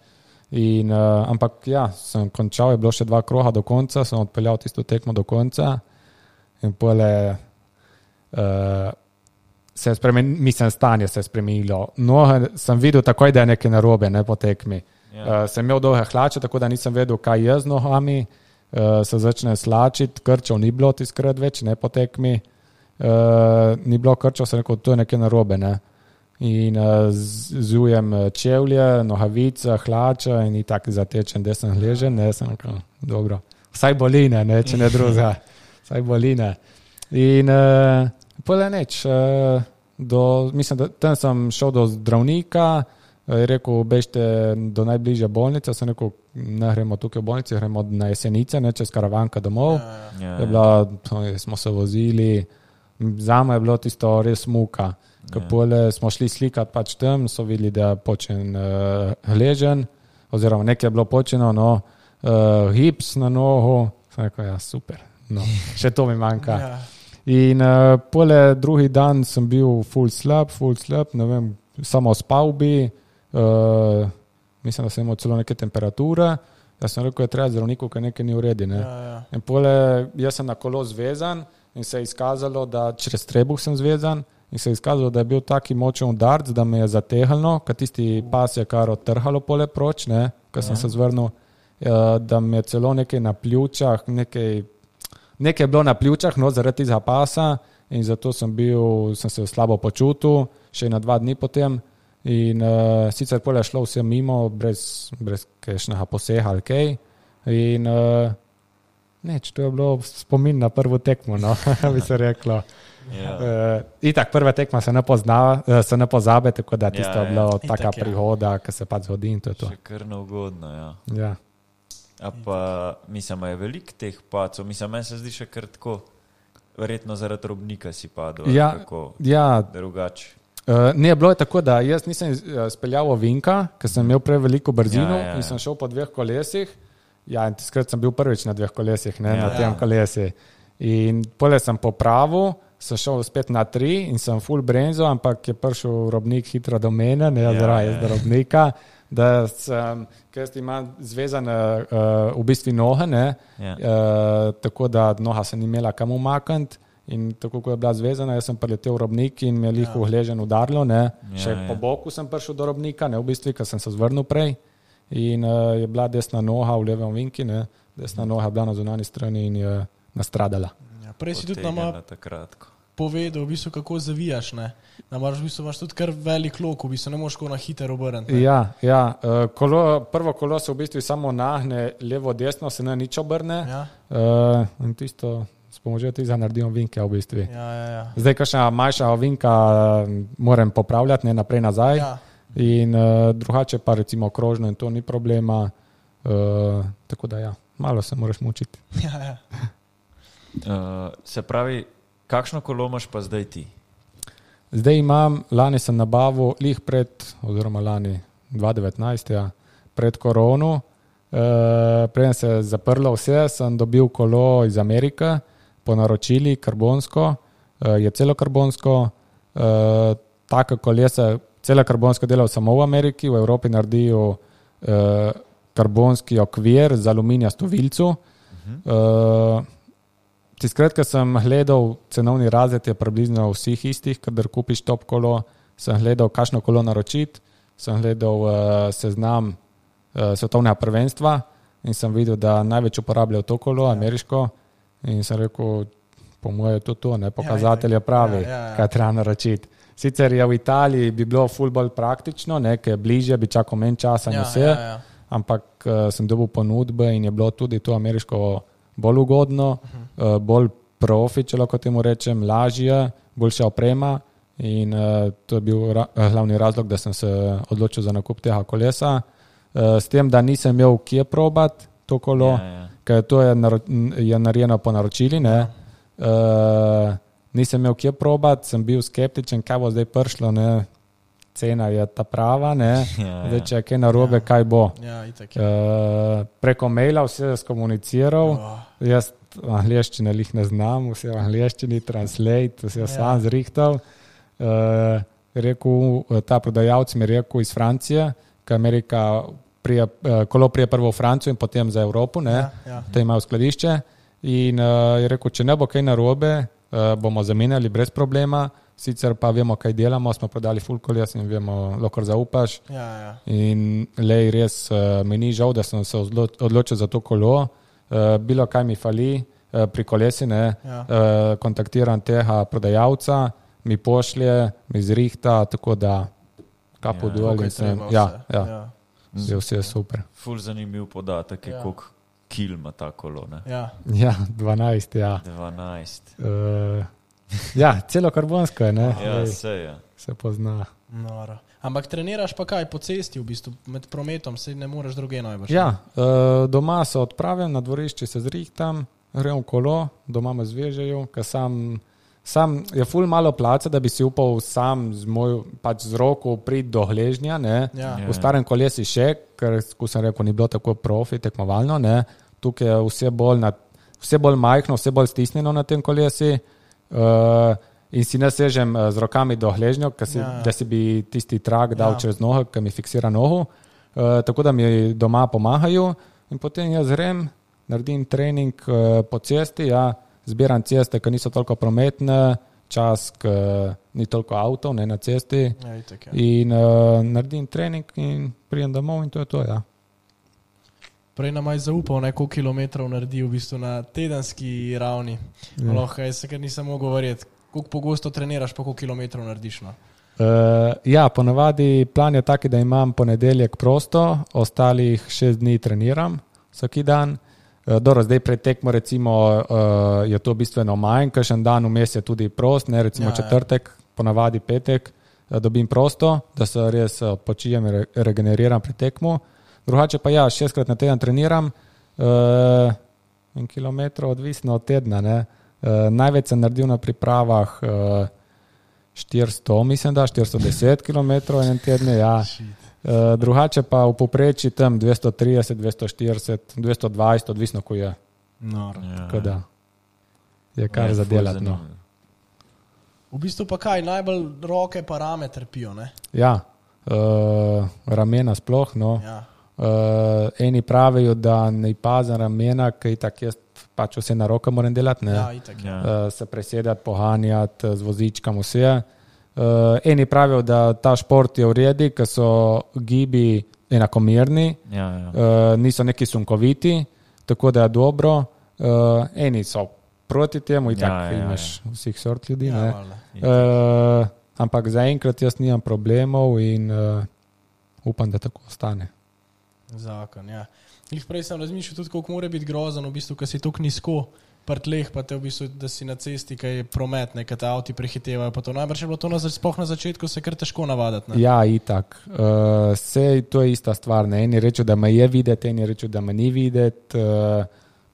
Ampak sem končal, je bilo še 2 kroga do konca, sem odpeljal tisto tekmo do konca in pole stanje se je spremenilo. Noge sem videl takoj, da je nekaj narobe, ne, po tekmi. Sem imel dolge hlače, tako da nisem vedel, kaj je z nogami, se začne slačiti, krčev ni bilo tiskrat več, ne, po tekmi. Ni bilo krčev, sem rekel, to je nekaj narobe, ne. In zujem čevlje, nohavice, hlače in tako zatečen, da sem ležen, ne, sem rekel, dobro, vsaj boline, ne, če ne druga, vsaj boline. In pole neč, mislim, da tam sem šel do zdravnika, je rekel, bežte do najbližje bolnice, sem rekel, ne gremo tukaj v bolnici, gremo na Jesenice, ne, čez Karavanka domov. Smo se vozili, zame je bilo tisto res muka. Pole smo šli slikati pač tam, so videli, da je počen ležen, oziroma nekaj je bilo počeno, gips na nogu, sem rekel, super, še to mi manjka. In pole drugi dan sem bil full slab, ne vem, samo spal bi, mislim, da sem imel celo neke temperature, jaz sem rekel, je treba zdravniku, ker nekaj ni v redi, ne. In pole jaz sem na kolo zvezan in se je izkazalo, da čez trebuh sem zvezan, in se je izkazalo, da je bil taki močen udarc, da me je zatehnilo, kad tisti pas je kar odtrhalo pole proč, ne, kad sem se zvrnil, da me je celo nekaj na pljučah, nekaj je bilo na pljučah, zaradi tizga pasa, in zato sem se slabo počutil, še na 2 dni potem, in sicer pole je šlo vse mimo, brez kakšnega poseha ali kaj, in neč, to je bilo spomin na prvo tekmo, bi se reklo. Itak prva tekma se ne pozabe, tako da tisto je bilo taka prihoda, ki se pač zgodi in to je to. Še kar neugodno, ja. A pa, mislim, je veliko teh pacov, meni se zdi še kar tako, verjetno zaradi Robnika si padel, kako drugače. Ne, bilo je tako, da jaz nisem speljal ovinka, ker sem imel preveliko brzino in sem šel po 2 kolesih, in tiskrat sem bil prvič na 2 kolesih, ne, na tem kolesi. In pole sem popravil, sem šel spet na 3 in sem full brenzo, ampak je prišel Robnik hitro do mene, ne, zaradi Robnika, da sem, ker imam zvezane v bistvu noge, ne, tako da noga se ni imela kam umakniti in tako, ko je bila zvezana, jaz sem priletel v Robnik in me je liho hležen udarilo, ne, še po boku sem prišel do Robnika, ne, v bistvu, ker sem se zvrnil prej in je bila desna noga v levem vinki, ne, desna noga je bila na zunanji strani in je nastradala. Prej si tudi nama povedal, v bistvu, kako zavijaš, ne? V bistvu imaš tudi kar velik lok, v bistvu ne moš na hiter obrniti. Prvo kolo se v bistvu samo nahne levo-desno, se ne nič obrne. In tisto s pomočjo tega naredim vinke v bistvu. Zdaj, kakšna manjša vinka moram popravljati, ne naprej nazaj. In drugače pa recimo krožno in to ni problema. Tako da malo se moraš mučiti. Se pravi, kakšno kolo imaš pa zdaj ti? Zdaj imam, lani sem nabavil oziroma lani 2019, pred korono, preden se je zaprlo vse, sem dobil kolo iz Amerike, po naročili karbonsko, je celo karbonsko, taka kolesa, celo karbonsko delal samo v Ameriki, v Evropi naredijo karbonski okvir z aluminijasto vilco. Tiskrat, ko sem gledal cenovni razred, je približno vseh istih, kadar kupiš top kolo, sem gledal, kakšno kolo naročiti, sem gledal seznam svetovnega prvenstva in sem videl, da največ uporabljajo to kolo, ameriško, in sem rekel, po moje to, ne, pokazatelj je pravi, kaj treba naročiti. Sicer je v Italiji bi bilo ful bolj praktično, ker je bližje, bi čakal manj časa in vse, ampak sem dobil ponudbe in je bilo tudi to ameriško bolj ugodno, bolj profi, če lahko temu rečem, lažje, boljša oprema in to je bil glavni razlog, da sem se odločil za nakup tega kolesa. S tem, da nisem imel kje probati to kolo, ker to je narejeno po naročili, ne. Nisem imel kje probati, sem bil skeptičen, kaj bo zdaj prišlo, ne. Cena je ta prava, ne. Zdaj, če je kaj narobe, kaj bo. Preko maila vse skomuniciral, jaz angleščine lih ne znam, vse v angleščini, translate, vse sam zrihtal. Ta prodajalec mi je rekel iz Francije, ker Amerika kolo prije prvo v Francijo in potem za Evropo, ne. Te imajo skladišče in je rekel, če ne bo kaj narobe, bomo zamenjali brez problema. Sicer pa vemo, kaj delamo, smo prodali full koles in vemo, lahko zaupaš. In lej, res mi ni žal, da sem se odločil za to kolo. Bilo kaj mi fali pri kolesi, ne. Kontaktiram tega prodajalca, mi pošlje, mi zrihta, tako da kapo dol in sem. Je vse super. Ful zanimiv podatek je, koliko kil ima ta kolo, ne? Ja, 12, ja. 12. Celo karbonsko je, ne? Se pozna. Noro. Ampak treniraš pa kaj po cesti, v bistvu, med prometom, se ne moreš druge najbolj. Doma se odpravim, na dvorišče se zrihtam, grem v kolo, doma me zvežejo, ker sam je ful malo place, da bi si upal sam z roko priti do gležnja, ne? V starem kolesi še, ker, ko sem rekel, ni bilo tako profi, tekmovalno, ne? Tukaj je vse bolj majhno, vse bolj stisnjeno na tem kolesi. In si ne sežem z rokami do gležnjo, da si bi tisti trak dal čez nogo, ki mi fiksira nogo. Tako da mi doma pomagajo in potem jaz grem, naredim trening po cesti, zbiram ceste, ki niso toliko prometne, čas, ki ni toliko avtov, ne na cesti. In naredim trening in prijem domov in to je to, Prej nam je zaupal, koliko kilometrov naredi v bistvu na tedenski ravni. Lahko je se, ker nisem mogel verjeti, koliko pogosto treniraš, pa koliko kilometrov narediš. Ponavadi plan je taki, da imam ponedeljek prosto, ostalih 6 dni treniram vsaki dan. Zdaj pred tekmo recimo je to bistveno manj, kakšen dan vmes je tudi prost, ne, recimo četrtek, ponavadi petek, dobim prosto, da se res odpočijem in regeneriram pred tekmo. Drugače pa 6krat na teden treniram in kilometrov odvisno od tedna. Ne. Največ sem naredil na pripravah 400, mislim da, 410 kilometrov en teden, drugače pa v povprečju tam 230, 240, 220, odvisno, ko je. Tako da je kar zadelati. No. V bistvu pa kaj, najbolj roke pa rame trpijo, ne? Ramena sploh, no. Eni pravijo, da ne pazim ramena, ker tak jaz pač vse na roke moram delati, ne. Se presedati, pohanjati z vozičkam vse. Eni pravijo, da ta šport je v redu, ker so gibi enakomerni, niso neki sunkoviti, tako da je dobro. Eni so proti temu, imaš vseh sort ljudi, ne. Ampak zaenkrat jaz nimam problemov in upam, da tako ostane. Zakon, Prej sem razmišljal tudi, koliko mora biti grozen, v bistvu, ker si toliko nizko pri tleh, pa te v bistvu, da si na cesti, kaj je promet, kaj te avti prehitevajo, pa to najbrž je bilo to sploh na začetku se kar težko navadati, ne? Itak. To je ista stvar, ne. Eni rečejo, da me je videti, eni rečejo, da me ni videti,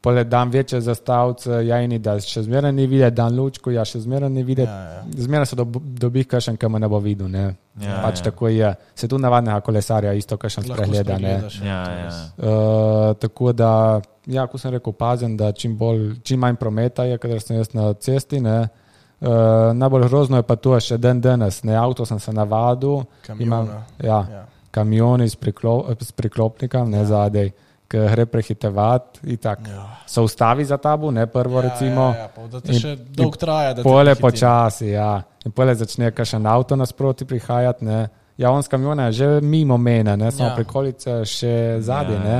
pole dam večje zastavce, eni, da še zmeraj ni videti, dan lučko, še zmeraj ni videti. Zmeraj se dobi kakšen, ki me ne bo videl, ne. Tako je. Se tu navadnega kolesarja isto kakšen spregleda, ne. Tako da, ko sem rekel, pazim, da čim manj prometa je, kadar sem jaz na cesti, ne. Najbolj grozno je pa to še danes, ne. Avto sem se navadil. Kamioni s priklopnikom, ne zadej. Ki gre prehitevati, se ustavi za tabo, ne prvo recimo. Da te še dolg traja, da te pole počasi, in pole začne kakšen avto nasproti prihajati, ne. On s kamiona je že mimo mene, ne, samo prikolice še zadnje, ne.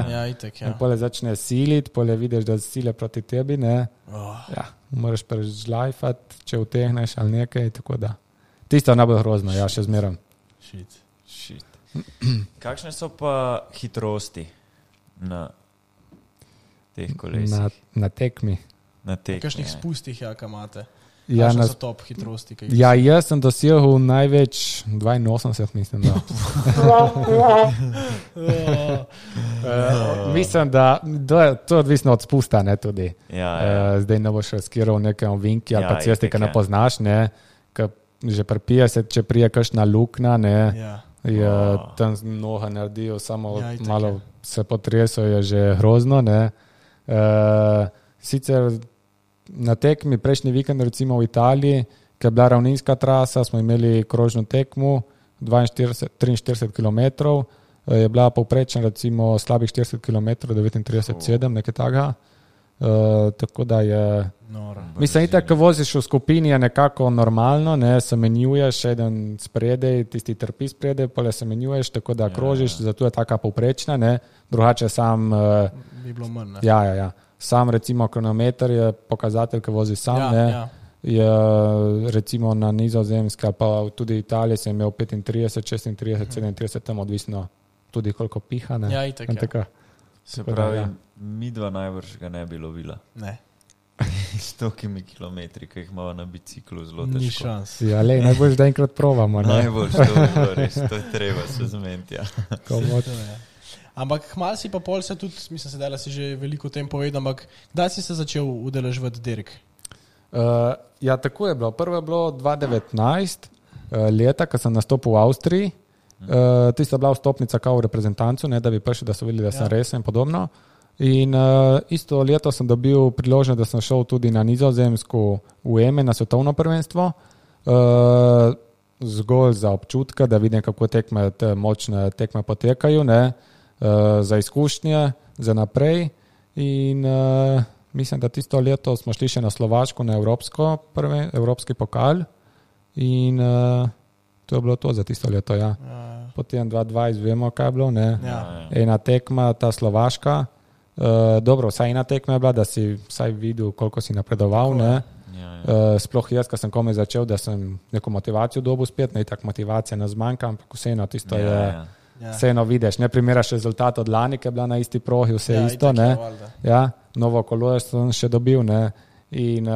In pole začne siliti, pole vidiš, da sile proti tebi, ne. Moraš prežlajfati, če utehneš ali nekaj, tako da. Tisto je najbolj grozno, še zmeram. Kakšne so pa hitrosti na teh kolesih? Na tekmi. Na tekmi. Kakšnih spustih, kaj imate? Kakšne so top hitrosti? Ja, jaz sem dosegel največ 82, mislim, da. Mislim, da to je odvisno od spusta, ne, tudi. Zdaj ne boš skiral nekem vinki ali pa cesti, ki ne poznaš, ne, že pri 50, če prije kakšna luknja, ne, je tam noha naredijo, samo malo se potreso, je že grozno, ne. Sicer na tekmi prejšnji vikend, recimo v Italiji, ki je bila ravninska trasa, smo imeli krožno tekmu 43 km, je bila povprečna recimo slabih 40 km, 39,7, nekaj takega. Tako da je... Mislim, itak, ko voziš v skupini, je nekako normalno, ne, se menjuješ, eden spredej, tisti trpi spredej, pa le se menjuješ, tako da krožiš, zato je taka povprečna, ne, drugače sam... Bi bilo manj, ne? Ja. Sam recimo kronometer je pokazatelj, ki vozi sam, ne, je recimo na Nizozemski ali pa tudi Italiji sem imel 35, 36, 37, tam odvisno tudi koliko piha, ne. Ja, itak, ja. Se pravi, mi dva najbrž ga ne bi lovila. Ne. 100 kilometri, ki jih imamo na biciklu, zelo težko. Ni šans. Ja, lej, najbolj da enkrat provamo, ne. Najbolj, to je bilo res, to je treba se zmeniti, ja. Ampak hmal si pa pol se tudi, mislim, da si že veliko o tem povedal, ampak kdaj si se začel udeleževati dirk? Ja, tako je bilo. Prvo je bilo 2019 leta, ko sem nastopil v Avstriji. Tista bila vstopnica kao v reprezentancu, ne, da bi prišli, da so videli, da sem resen in podobno. In isto leto sem dobil priložnost, da sem šel tudi na Nizozemsko v EME na svetovno prvenstvo. Zgolj za občutka, da vidim, kako te močne tekme potekajo, ne, za izkušnje, za naprej. In mislim, da tisto leto smo šli še na Slovaško, na evropski pokal. In to je bilo to za tisto leto, ja. Potem 2020 vemo, kaj je bilo, ne. Ena tekma, ta Slovaška. Dobro, vsaj ena tekma je bila, da si vsaj videl, koliko si napredoval, ne. Sploh jaz, ko sem komaj začel, da sem neko motivacijo dobil spet, ne, tak motivacija ne zmanjka, ampak vseeno tisto je, vseeno vidiš, ne primeraš rezultat od lani, ki je bila na isti progi, vse isto, ne. Ja, novo kolo sem še dobil, ne. In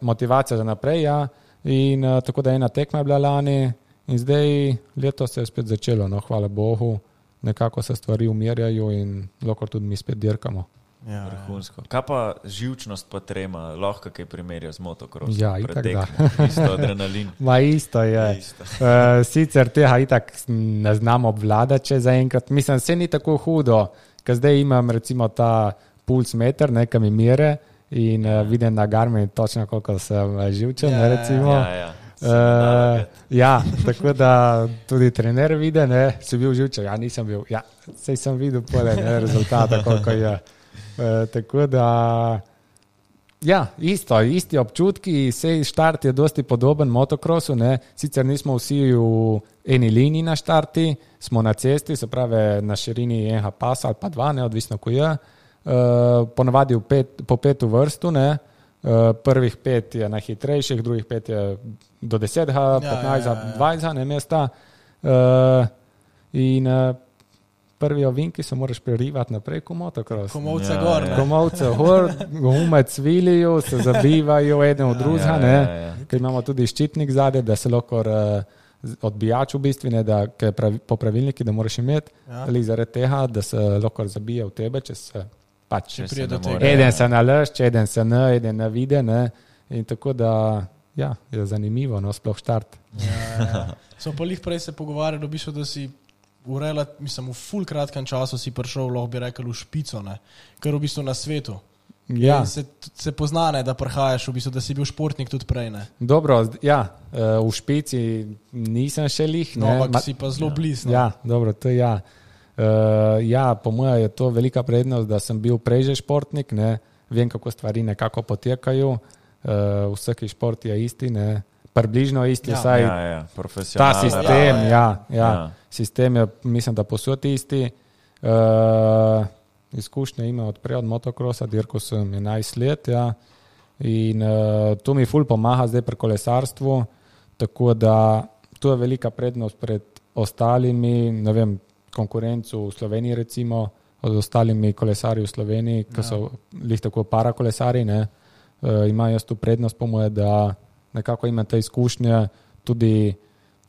motivacija za naprej, ja. In tako da ena tekma je bila lani in zdaj leto se je spet začelo, no, hvala Bogu, nekako se stvari umirjajo in lahko tudi mi spet dirkamo. Vrhunsko. Kaj pa živčnost pa trema, lahko kaj primerja z motokrosom? Ja, itak da. Isto adrenalin. Ma isto je. Sicer tega itak ne znam obvladati, če zaenkrat. Mislim, se ni tako hudo, ker zdaj imam recimo ta puls meter, nekaj mi mere in vidim na Garmin točno, koliko sem živčen, recimo. Ja, tako da tudi trener vidi, ne, si bil živčen, ja, nisem bil, ja, sej sem videl pole, ne, rezultata, koliko je. Tako da, ja, isti občutki, sej štart je dosti podoben motokrosu, ne, sicer nismo vsi v eni liniji na štarti, smo na cesti, se pravi na širini enega pasa ali pa dva, ne, odvisno ko je, ponavadi po 5 vrstu, ne, prvih 5 je najhitrejših, drugih 5 je do 10, 15, 20, ne, mesta, in prvi ovinki se moraš prerivati naprej ko motokros. Komovce gor, ne? Komovce gor, gume cvilijo, se zabivajo eden v drugega, ne, ker imamo tudi ščitnik zadaj, da se lahko odbijač v bistvu, ne, da po pravilniki, da moraš imeti, ali zaradi tega, da se lahko zabije v tebe, če se pač eden se nalašče, eden se eden ne vide, ne, in tako da, ja, je zanimivo, no, sploh štart. Smo pa lih prej se pogovarjali, v bistvu, da si v ful kratkem času si prišel, lahko bi rekel, v špico, ne, ker v bistvu na svetu. Ja. Se pozna, ne, da prihajaš, v bistvu, da si bil športnik tudi prej, ne. Dobro, ja, v špici nisem še lih, ne. No, ampak si pa zelo blizu. Ja, dobro, to je ja. Ja, po mojem je to velika prednost, da sem bil prej že športnik, ne, vem, kako stvari nekako potekajo, vsaki šport je isti, ne, približno isti, vsaj ta sistem, sistem je, mislim, da posod isti, izkušnje ima odprej od motokrosa, dirko sem 11 let, ja, in to mi ful pomaga zdaj pri kolesarstvu, tako da to je velika prednost pred ostalimi, ne vem, konkurencu v Sloveniji recimo, od ostalimi kolesarji v Sloveniji, ki so lih tako parakolesari, ne, ima jaz tu prednost po moje, da nekako imam te izkušnje, tudi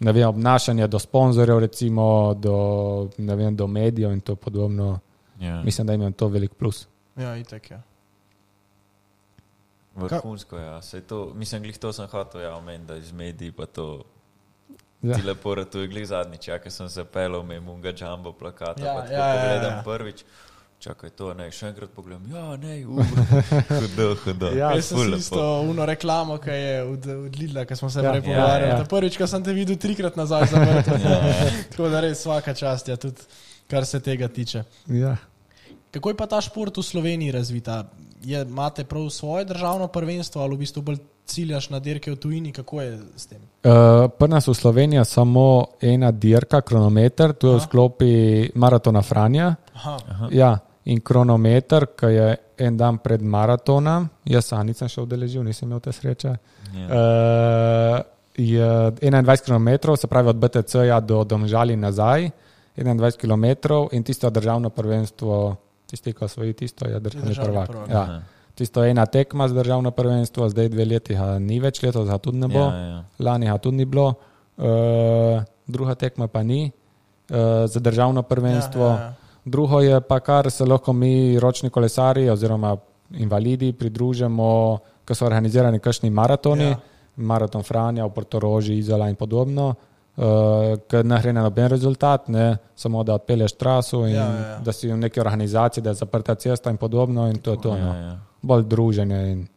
ne vem, obnašanje do sponzorjev, recimo, do medijev in to podobno. Yeah. Mislim, da imam to velik plus. Ja, itak, ja. Vrhunsko, ja. Mislim, glih to sem hotel, omen, da iz medij pa to ti lepo ratuje. Glih zadnjič, ker sem se pelal, imam unga jumbo plakata, pa tako pogledam prvič. Čakaj to, še enkrat pogledam. Hudo. Jaz sem isto uno reklamo, ki je od Lidla, ki smo se prej pogovarjali. Prvič, ko sem te videl 3-krat nazaj zavrtel. Tako da res svaka čast, tudi kar se tega tiče. Ja. Kako je pa ta šport v Sloveniji razvita? Imate prav svoje državno prvenstvo ali v bistvu bolj ciljaš na dirke v tujini? Kako je s tem? Pri nas v Sloveniji samo ena dirka, kronometer, tu je v sklopi maratona Franja. Ja, in kronometer, ki je en dan pred maratonom, jaz nisem še udeležil, nisem imel te sreče, je 21 km, se pravi od BTC-ja do Domžali nazaj, 21 km in tisto državno prvenstvo, tisti, ko svoji tisto, je državni prvak. Ja. Tisto je ena tekma z državno prvenstvo, zdaj 2 leti ni več, letos ga tudi ne bo, lani ga tudi ni bilo, druga tekma pa ni za državno prvenstvo. Drugo je pa, kar se lahko mi ročni kolesari oziroma invalidi pridružimo, ko so organizirani kakšni maratoni, maraton Franja v Portoroži, Izola in podobno, ker ne gre na noben rezultat, samo da odpelješ traso in da si v neki organizaciji, da je zaprta cesta in podobno in to je to. Bolj druženje in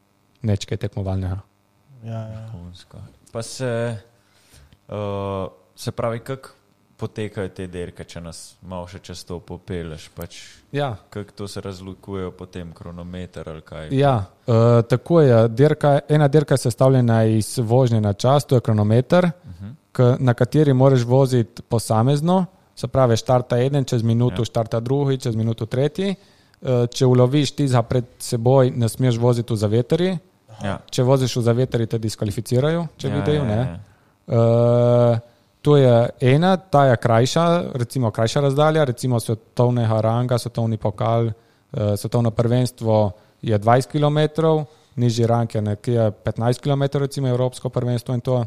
nečkaj tekmovalnega. Pa se pravi, kako potekajo te dirke, če nas malo še čez to popeleš, kako to se razlikujejo potem kronometer ali kaj? Ja, tako je. Ena dirka je sestavljena iz vožnje na čas, to je kronometer, na kateri moraš voziti posamezno, se pravi štarta eden, čez minuto štarta drugi, čez minuto tretji. Če uloviš tiza pred seboj, ne smeš voziti v zaveteri. Če voziš v zaveteri, te diskvalificirajo, če vidijo, ne. To je ena, ta je krajša, recimo krajša razdalja, recimo svetovnega ranga, svetovni pokal, svetovno prvenstvo je 20 km, nižji rang je nekje 15 km, recimo evropsko prvenstvo in to.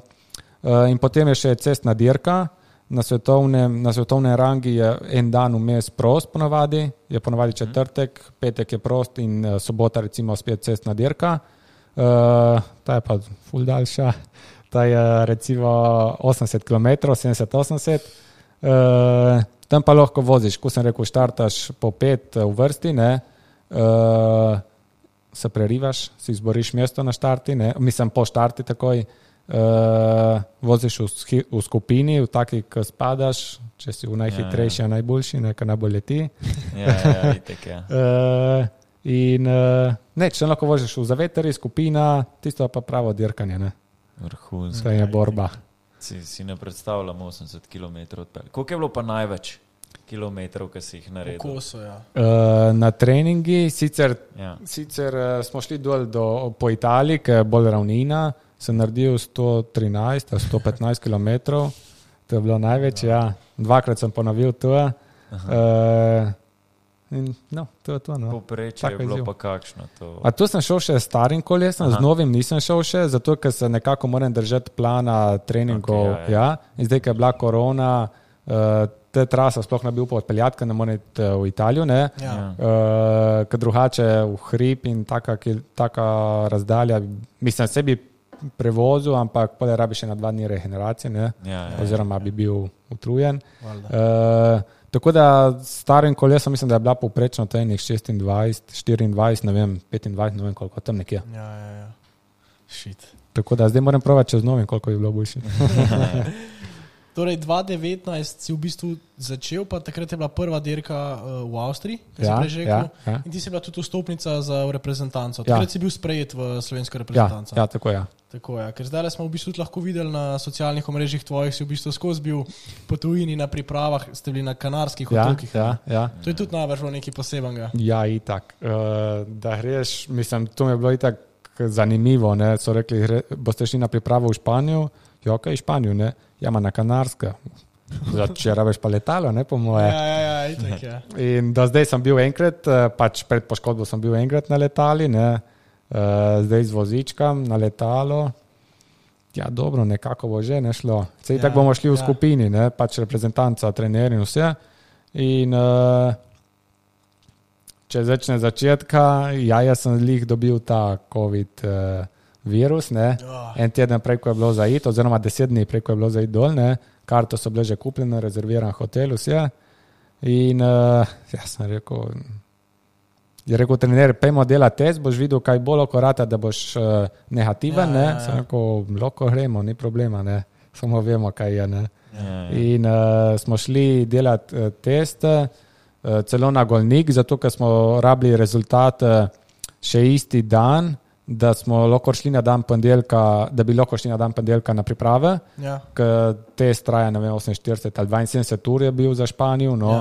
In potem je še cestna dirka, na svetovnem rangi je en dan vmes prost ponavadi, je ponavadi četrtek, petek je prost in sobota recimo spet cestna dirka. Ta je pa ful daljša. Ta je recimo 80 km, 70-80. Tam pa lahko voziš, ko sem rekel, štartaš po 5 v vrsti, se prerivaš, si izboriš mesto na štarti, mislim po štarti takoj, voziš v skupini, v taki, ki spadaš, če si v najhitrejši, najboljši, nekaj najbolj leti. Itek, in če lahko voziš v zaveteri, skupina, tisto pa pravo dirkanje, Vrhunska je borba. Si ne predstavljam 80 km odpelj. Koliko je bilo pa največ kilometrov, ki si jih naredil? Kako so, na treningi, sicer smo šli dol po Italiji, ki je bolj ravnina, sem naredil 113, 115 km, to je bilo največ, dvakrat sem ponovil to. In to je to. Poprečje je bilo pa kakšno to? A tu sem šel še s starim kolesom, z novim nisem šel še, zato ker se nekako moram držati plana treningov. In zdaj, ker je bila korona, te trasa sploh ne bi upal odpeljati, ker ne morem iti v Italijo, ker drugače v hrib in taka razdalja, mislim, se bi prevozil, ampak potem rabi še na 2 dni regeneracije, oziroma bi bil utrujen. Tako da s starim kolesom mislim, da je bila povprečno tajnih 26, 24, ne vem, 25, ne vem koliko, tam nekje. Shit. Tako da zdaj moram provati čez novim, koliko bi bilo boljši. Torej, 2019 si v bistvu začel, pa takrat je bila prva dirka v Avstriji, ki si prej rekel, in ti si bila tudi vstopnica za reprezentanco. Takrat si bil sprejet v slovensko reprezentanco. Tako je. Tako je, ker zdaj smo v bistvu lahko videli na socialnih omrežjih tvojih, si v bistvu skozi bil po tujini na pripravah, ste bili na Kanarskih otokih. To je tudi najbrž bilo nekaj posebenega. Ja, itak. Da greš, mislim, to mi je bilo itak zanimivo, so rekli, boste šli na pripravo v Španijo, kaj v Španijo, ma na Kanarska. Če rabiš pa letalo, po moje. Itak, In do zdaj sem bil enkrat, pač pred poškodbo sem bil enkrat na letali, zdaj z vozičkom na letalo. ja, dobro, nekako bo že nešlo. Sej tako bomo šli v skupini, ne, pač reprezentanca, trener in vse. In če začne začetka, jaz sem lih dobil ta COVID virus, ne. En teden prej, ko je bilo zaid, oziroma 10 dni prej, ko je bilo zaid dol, ne. Karto so bile že kupljene, rezerviran hotel, vse. In jaz sem rekel, trener, pejmo delati test, boš videl, kaj bo lahko rata, da boš negativen, ne. Sem rekel, lahko gremo, ni problema, ne. Samo vemo, kaj je, ne. In smo šli delati teste, celo na Golnik, zato ker smo rabili rezultat še isti dan, da smo lahko šli na dan ponedjeljka, da bi lahko šli na dan ponedjeljka na priprave, ker test traja, ne vem, 48 ali 72 ur je bil za Španijo, no,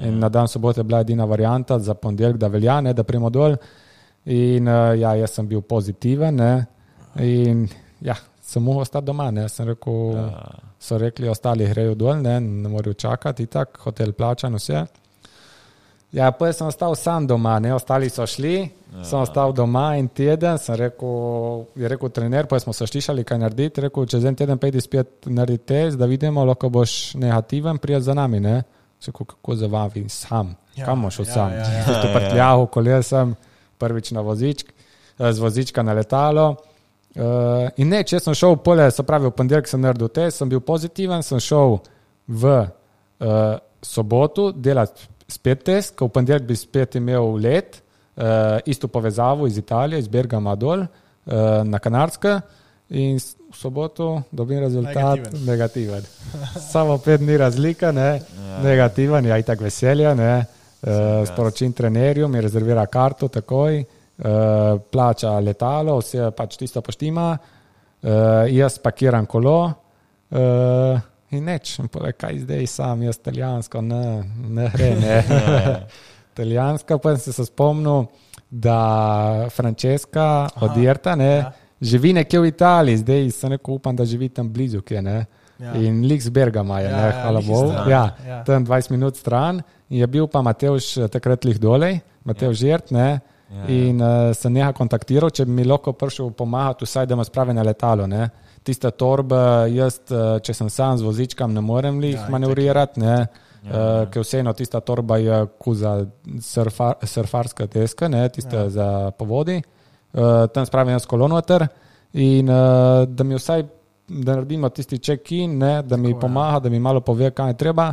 in na dan sobote je bila edina varianta za ponedjeljk, da velja, ne, da primo dol. In jaz sem bil pozitiven, ne, in sem mogel ostati doma, ne, sem rekel, so rekli, ostali grejo dol, ne morajo čakati, tak, hotel plačan, vse. Ja, pa sem ostal sam doma, ne, ostali so šli, sem ostal doma in teden, je rekel trener, pa smo se slišali, kaj narediti, rekel, čez en teden pejdi spet narediti test, da vidimo, lahko boš negativen, prijeti za nami, ne. Rekel, kako za vami, sam, kam boš sam? To prtljahu, kolesem, prvič na vozičk, z vozička na letalo. In ne, če sem šel pole, se pravi, v ponedjeljek sem naredil test, sem bil pozitiven, sem šel v soboto delati spet test, ko v ponedjeljek bi spet imel let, isto povezavo iz Italije, iz Bergama dol, na Kanarske, in v soboto dobim rezultat negativen. Samo 5 dni razlika, ne, negativen, ja, itak veselja, ne, sporočim trenerju, mi rezervira karto takoj, plača letalo, vse pač tisto poštima, jaz pakiram kolo, in neč, kaj zdaj sam, jaz italijansko, ne gre, ne. Italijanska, pa sem se spomnil, da Francesca od Irta, ne, živi nekje v Italiji, zdaj sem rekel, upam, da živi tam blizu, kje, ne. In lik z Bergama je, ne, hvala Bogu, tam 20 minut stran, in je bil pa Matevž takrat lih dolej, Matevž Irt, ne, in sem neha kontaktiral, če bi mi lahko prišel pomagati, vsaj da me spravi na letalo, ne. Tista torba, jaz, če sem sam z vozičkam, ne morem lih manevrirati, ne, ker vseeno tista torba je za surfarska deska, ne, tista za povodi, tam spravim jaz kolo noter in da mi vsaj, da naredimo tisti check-in, ne, da mi pomaga, da mi malo pove, kaj je treba,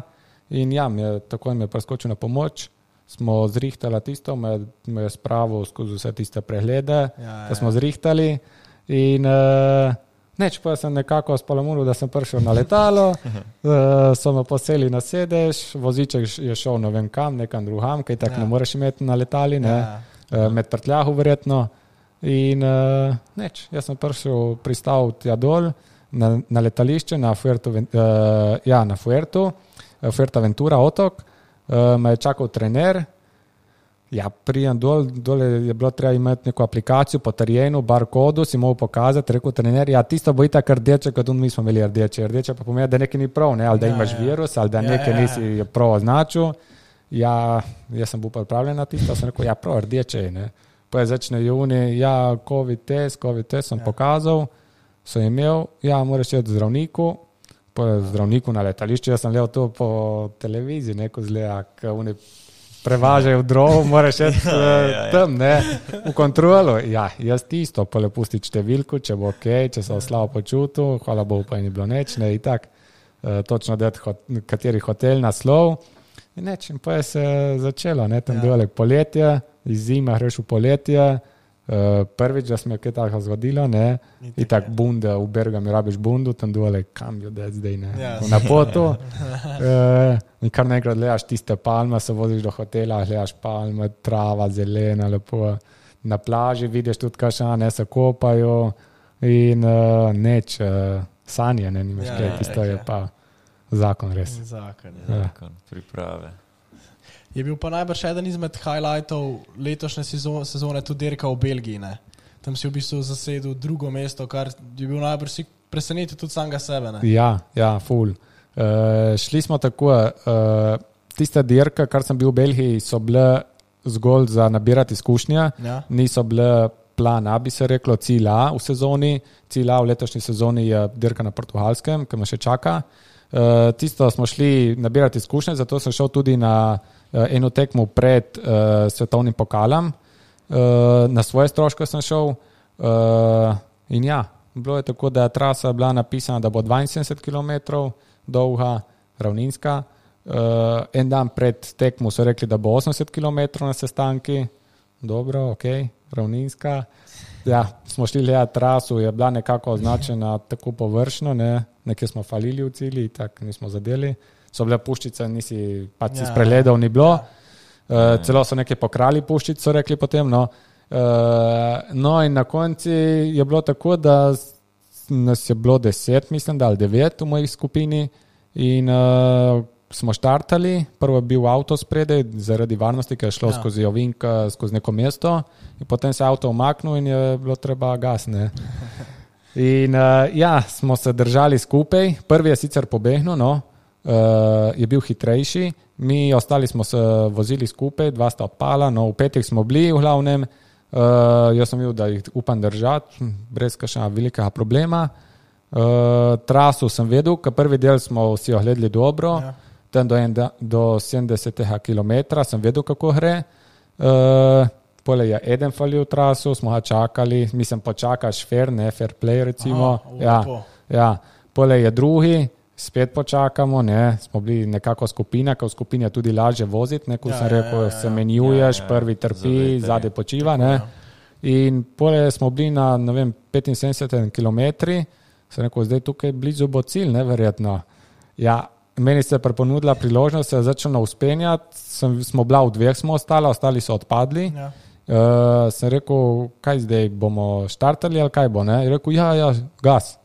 in ja, takoj mi je preskočil na pomoč, smo zrihtali tisto, me je spravil skozi vse tiste preglede, da smo zrihtali in neč, pa sem nekako spalamulil, da sem prišel na letalo, so me poseli na sedež, voziček je šel ne vem kam, nekam drugam, kaj tako ne moreš imeti na letali, ne, med prtljahu verjetno. In neč, jaz sem pristal tja dol na letališče, na Fuerteventura otok, me je čakal trener. Ja, prijem dol je bilo treba imeti neko aplikacijo po terenu, barkodu, si mogel pokazati, rekel trener, ja, tisto bo itak rdeče, kot mi smo imeli rdeče. Rdeče pa pomeni, da nekaj ni prav, ne, ali da imaš virus, ali da nekaj nisi prav označil. Ja, jaz sem bil pripravljen na tisto, sem rekel, ja, prav rdeče je, ne. Pa je začne juni, ja, COVID test sem pokazal, sem imel, ja, moraš iti zdravniku, pa zdravniku na letališču, jaz sem gledal to po televiziji, neko zgleda, oni prevažajo drov, moraš iti tam, ne, v kontrolu. Ja, jaz tisto, pa le pusti številku, če bo okej, če se slabo počutil, hvala Bogu pa ni bilo neč, ne, in tak, točno dati kateri hotel, naslov, in neč, in pa je se začelo, ne, tam dole poletje, iz zime greš v poletje, prvič, da se mi je kaj tako zgodilo, ne, in tak bunde, v Bergami rabiš bundu, tam dole, kam jo deti zdaj, ne, na potu, in kar nekrat gledaš tiste palme, se voziš do hotela, gledaš palme, trava, zelena, lepo, na plaži vidiš tudi kašane, se kopajo in neč, sanje, ne, nimaš kaj, tisto je pa zakon res. Zakon, priprave. Je bil pa najbrž eden izmed highlightov letošnje sezone tudi dirka v Belgiji, ne? Tam si v bistvu zasedel drugo mesto, kar je bil najbrž si presenetil tudi samega sebe, ne? Ja, ful. Šli smo tako, tista dirka, kar sem bil v Belgiji, so bile zgolj za nabirati izkušnja, niso bile plan A, bi se reklo, cilj A v sezoni. Cilj A v letošnji sezoni je dirka na Portugalskem, ki me še čaka. Tisto smo šli nabirati izkušnje, zato sem šel tudi na eno tekmo pred svetovnim pokalom. Na svoje stroške sem šel in ja, bilo je tako, da je trasa bila napisana, da bo 72 km dolga, ravninska. En dan pred tekmo so rekli, da bo 80 km na sestanki. Dobro, ok, ravninska. Ja, smo šli gledati trasu, je bila nekako označena tako površno, nekje smo falili v cilji, tako nismo zadeli. So bile puščice, nisi pač si spregledal, ni bilo. Celo so nekaj pokrali puščic, so rekli potem. No in na konci je bilo tako, da nas je bilo 10, mislim, da ali 9 v moji skupini in smo štartali, prvo je bil avto spredaj zaradi varnosti, ki je šlo skozi ovink, skozi neko mesto in potem se avto umaknil in je bilo treba gas. In smo se držali skupaj, prvi je sicer pobegnil, je bil hitrejši, mi ostali smo se vozili skupaj, 2 sta odpala, v petih smo bili v glavnem, jaz sem videl, da jih upam držati, brez kakšnega velikega problema. Traso sem vedel, ker prvi del smo vsi ogledali dobro, tam do 70 km sem vedel, kako gre. Pole je eden falil traso, smo ga čakali, mislim počakaš fair play recimo. Pole je drugi, spet počakamo, smo bili nekako skupina, ker v skupini je tudi lažje voziti, ko sem rekel, se menjuješ, prvi trpi, zadnji počiva. In pole smo bili na 75 km, sem rekel, zdaj tukaj blizu bo cilj, neverjetno. Meni se je preponudila priložnost, se je začelo uspenjati, smo bila v 2 smo ostali so odpadli. Sem rekel, kaj zdaj, bomo štartali ali kaj bo, Je rekel, gas.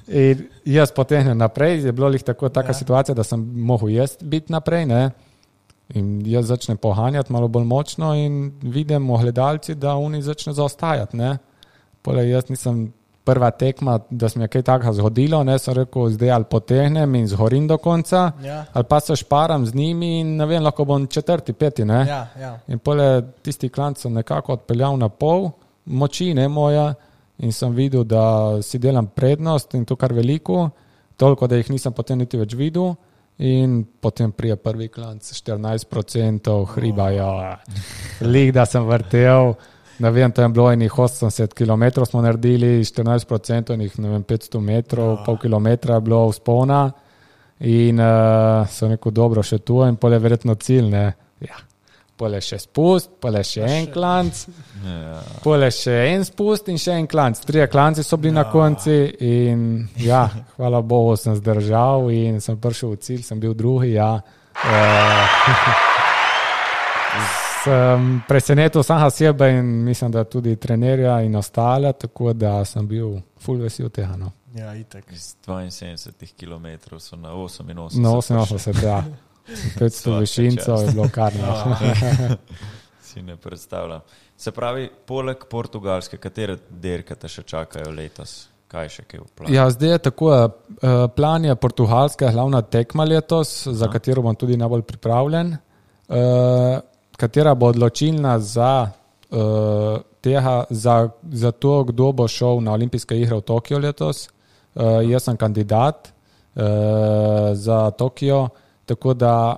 In jaz potegnem naprej, je bilo lih taka situacija, da sem mogel jaz biti naprej, In jaz začnem pohanjati malo bolj močno in vidim v gledalci, da oni začne zaostajati, Pole jaz nisem prva tekma, da se mi je kaj takega zgodilo, sem rekel, zdaj ali potegnem in zhorim do konca, ali pa se šparam z njimi in lahko bom 4., 5. In pole tisti klanc sem nekako odpeljal na pol moči, moja, in sem videl, da si delam prednost in to kar veliko, toliko, da jih nisem potem niti več videl in potem prije prvi klanc 14% hriba, lik, da sem vrtel. To je bilo enih 80 km smo naredili, 14% enih 500 metrov, pol kilometra je bilo vzpona in sem rekel, dobro, še tu in pole verjetno cilj, Pole še spust, pole še en klanc, pole še en spust in še en klanc. 3 klanci so bili na konci in hvala Bogu sem zdržal in sem prišel v cilj, sem bil drugi, Sem presenetil samega sebe in mislim, da tudi trenerja in ostale, tako da sem bil ful vesel tega. Itak. Z 72 km so na 88. Na 88, 500 višincev je bilo kar. Si ne predstavljam. Se pravi, poleg Portugalske, katere dirke te še čakajo letos? Kaj še kaj v planu? Zdaj je tako, plan je Portugalska glavna tekma letos, za katero bom tudi najbolj pripravljen. Katera bo odločilna za to, kdo bo šel na olimpijske igre v Tokio letos. Jaz sem kandidat za Tokio, tako da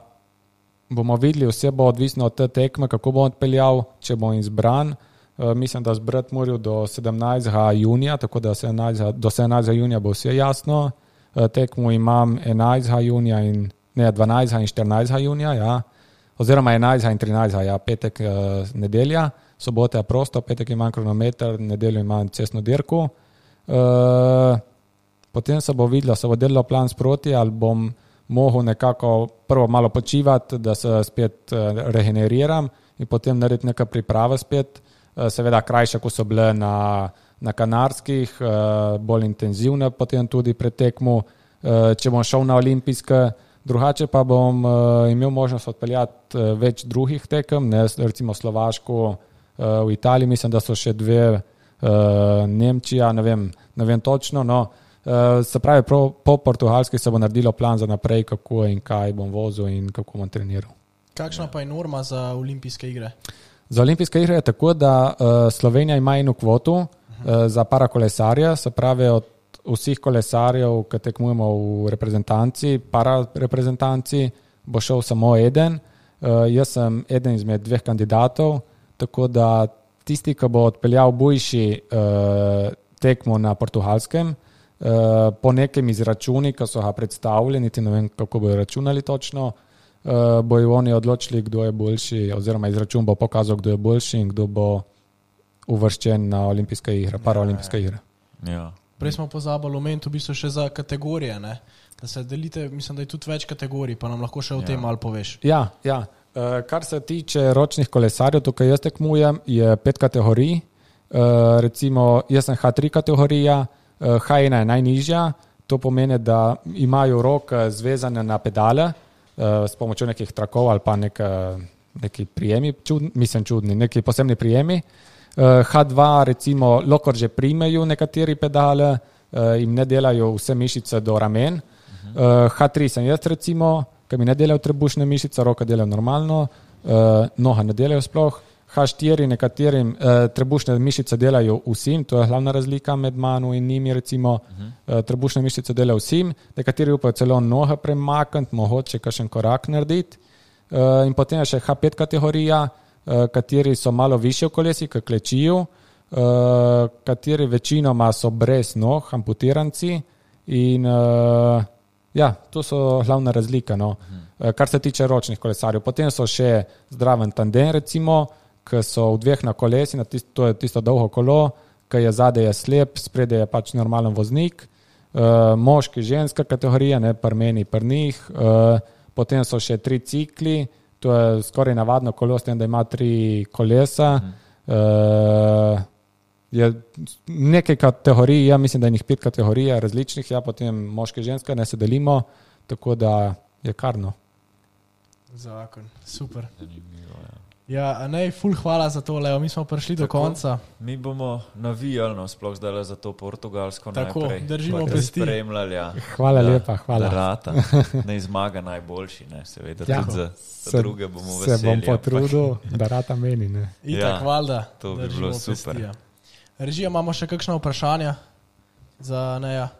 bomo videli, vse bo odvisno od te tekme, kako bom odpeljal, če bom izbran. Mislim, da zbrati morajo do 17. junija, tako da do 17. junija bo vse jasno. Tekmo imam 11. junija in 12. in 14. junija, oziroma 11. in 13. Petek, nedelja, sobota je prosto, petek imam kronometer, nedeljo imam cestno dirko. Potem se bo videlo, se bo delalo plan sproti, ali bom mogel nekako prvo malo počivati, da se spet regeneriram in potem narediti nekaj priprave spet, seveda krajše, ko so bile na Kanarskih, bolj intenzivne potem tudi pred tekmo, če bom šel na olimpijske. Drugače pa bom imel možnost odpeljati več drugih tekem, recimo Slovaško, v Italiji, mislim, da so še 2, Nemčija, ne vem točno, se pravi, po Portugalski se bo naredilo plan za naprej, kako in kaj bom vozil in kako bom treniral. Kakšna pa je norma za olimpijske igre? Za olimpijske igre je tako, da Slovenija ima eno kvoto za parakolesarje, se pravi od vseh kolesarjev, ki tekmujemo v reprezentanci, parareprezentanci, bo šel samo eden. Jaz sem eden izmed 2 kandidatov, tako da tisti, ki bo odpeljal boljši tekmo na Portugalskem, po nekem izračuni, ki so ga predstavili, niti ne vem, kako bojo računali točno, bojo oni odločili, kdo je boljši, oziroma izračun bo pokazal, kdo je boljši in kdo bo uvrščen na olimpijske igre, paraolimpijske igre. Ja. Prej smo pozabili omeniti v bistvu še za kategorije, ne? Da se delite, mislim, da je tudi več kategorij, pa nam lahko še o tem malo poveš. Ja. Kar se tiče ročnih kolesarjev, tukaj jaz tekmujem, je 5 kategorij. Recimo, jaz sem H3 kategorija, H1 je najnižja, to pomeni, da imajo roke zvezane na pedale s pomočjo nekih trakov ali pa neki prijemi, čudni, neki posebni prijemi. H2 recimo lahko že primejo nekateri pedale, jim ne delajo vse mišice do ramen. H3 sem jaz recimo, ki mi ne delajo trebušne mišice, roke delajo normalno, noga ne delajo sploh. H4 nekaterim trebušne mišice delajo vsem, to je glavna razlika med mano in njimi recimo. Trebušne mišice delajo vsem, nekateri upajo celo noge premakniti, mogoče kakšen korak narediti. In potem je še H5 kategorija, kateri so malo višje v kolesi, ki klečijo, kateri večinoma so brez nog, amputiranci in to so glavna razlika, no. Kar se tiče ročnih kolesarjev. Potem so še zdraven tandem recimo, ki so v 2 na kolesi, to je tisto dolgo kolo, ki je zadaj je slep, spredaj je pač normalen voznik, moški, ženska kategorija, ne, pri meni, pri njih, potem so še 3 cikli, to je skoraj navadno kolo, s tem, da ima 3 kolesa, je nekaj kategorij, ja mislim, da je njih 5 kategorij različnih, ja, potem moški, ženska, ne se delimo, tako da je karno. Zakon, super. Ja, nej, ful hvala za to, Leo, mi smo prišli do konca. Mi bomo navijali, sploh zdaj za to Portugalsko tako, najprej. Tako, držimo pesti. Spremljali, ja. Hvala lepa, hvala. Rata, ne zmaga najboljši, ne, seveda, tudi za druge bomo veseli. Se bom potrudil, da rata meni, ne. Itak, valjda, to bi bilo super. Pesti, ja. Režija, imamo še kakšna vprašanja za Neja?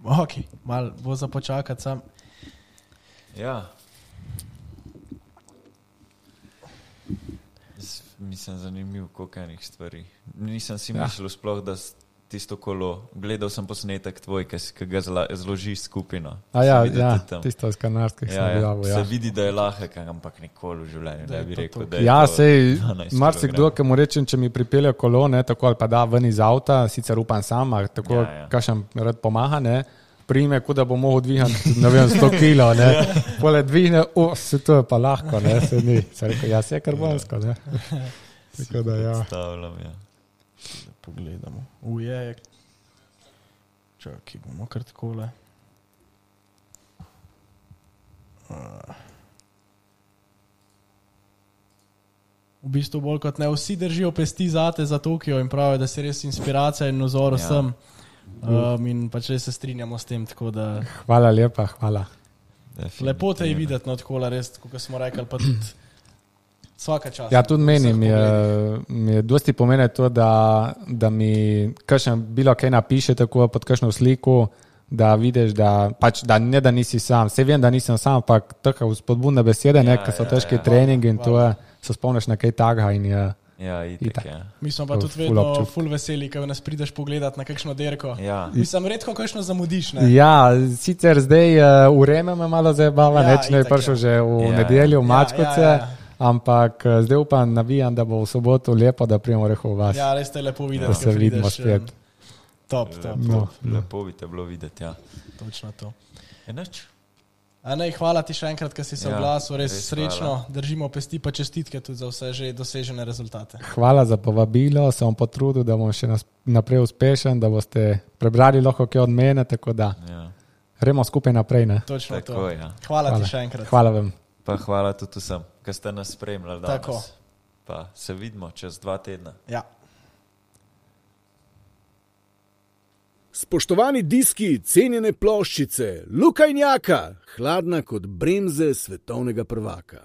Ok, malo bo za počakati sam. Ja. Mislim, zanimiv, koliko enih stvari. Nisem si mislil sploh, da tisto kolo, gledal sem posnetek tvoj, ki ga zložiš skupino. Tisto iz Kanarskih sem objavil. Se vidi, da je lahek, ampak nikoli v življenju ne bi rekel, da je to 12 kg. Marsikdo, ki mu rečem, če mi pripelje kolo, ne, tako ali pa da ven iz avta, sicer upam sam, tako kakšen rad pomaga, ne, prime, kot da bo mogel dvigati, ne vem, 100 kilo, ne. Pole dvigne, se to je pa lahko, ne, se ni. Se rekel, se je karbonsko, ne. Tako da, ja. Predstavljam, ja. Da pogledamo. Ujej. Čakaj, bomo kar takole. V bistvu bolj kot ne, vsi držijo pesti zate za Tokio in pravijo, da si res inspiracija in nazor vsem. In pač res se strinjamo s tem, tako da... Hvala lepa, hvala. Lepo te je videti, no tako res, kako smo rekli, pa tudi vsaka čast. Ja, tudi meni mi je dosti pomene to, da mi kakšen bilo kaj napiše tako pod kakšno sliko, da vidiš, da pač, da ne da nisi sam. Vse vem, da nisem sam, ampak tako spodbudne besede, ker so težki treningi in to je, se spomniš na kaj takega in je... Ja, itak, ja. Mi smo pa tudi vedno ful veseli, ko nas prideš pogledat na kakšno derko. Ja. Mislim, redko kakšno zamudiš, ne? Ja, sicer zdaj vreme me malo zabava, neč ne je prišel že v nedeljo v Mačkovce, ampak zdaj upam, navijam, da bo v soboto lepo, da prijemo reho v vas. Ja, res te je lepo videti, da se vidimo spet. Top. Lepo bi te bilo videti, ja. Točno to. Enač? Nej, hvala ti še enkrat, ker si se oglasil, res srečno, držimo pesti, pa čestitke tudi za vse že dosežene rezultate. Hvala za povabilo, se bom potrudil, da bom še naprej uspešen, da boste prebrali lahko kaj od mene, tako da gremo skupaj naprej. Ne? Točno tako, to. Ja. Hvala ti še enkrat. Hvala vam. Pa hvala tudi vsem, ki ste nas spremljali danes. Tako. Pa se vidimo čez 2 tedna. Ja. Spoštovani diski, cenjene ploščice, Luka in Jaka, hladna kot bremze svetovnega prvaka.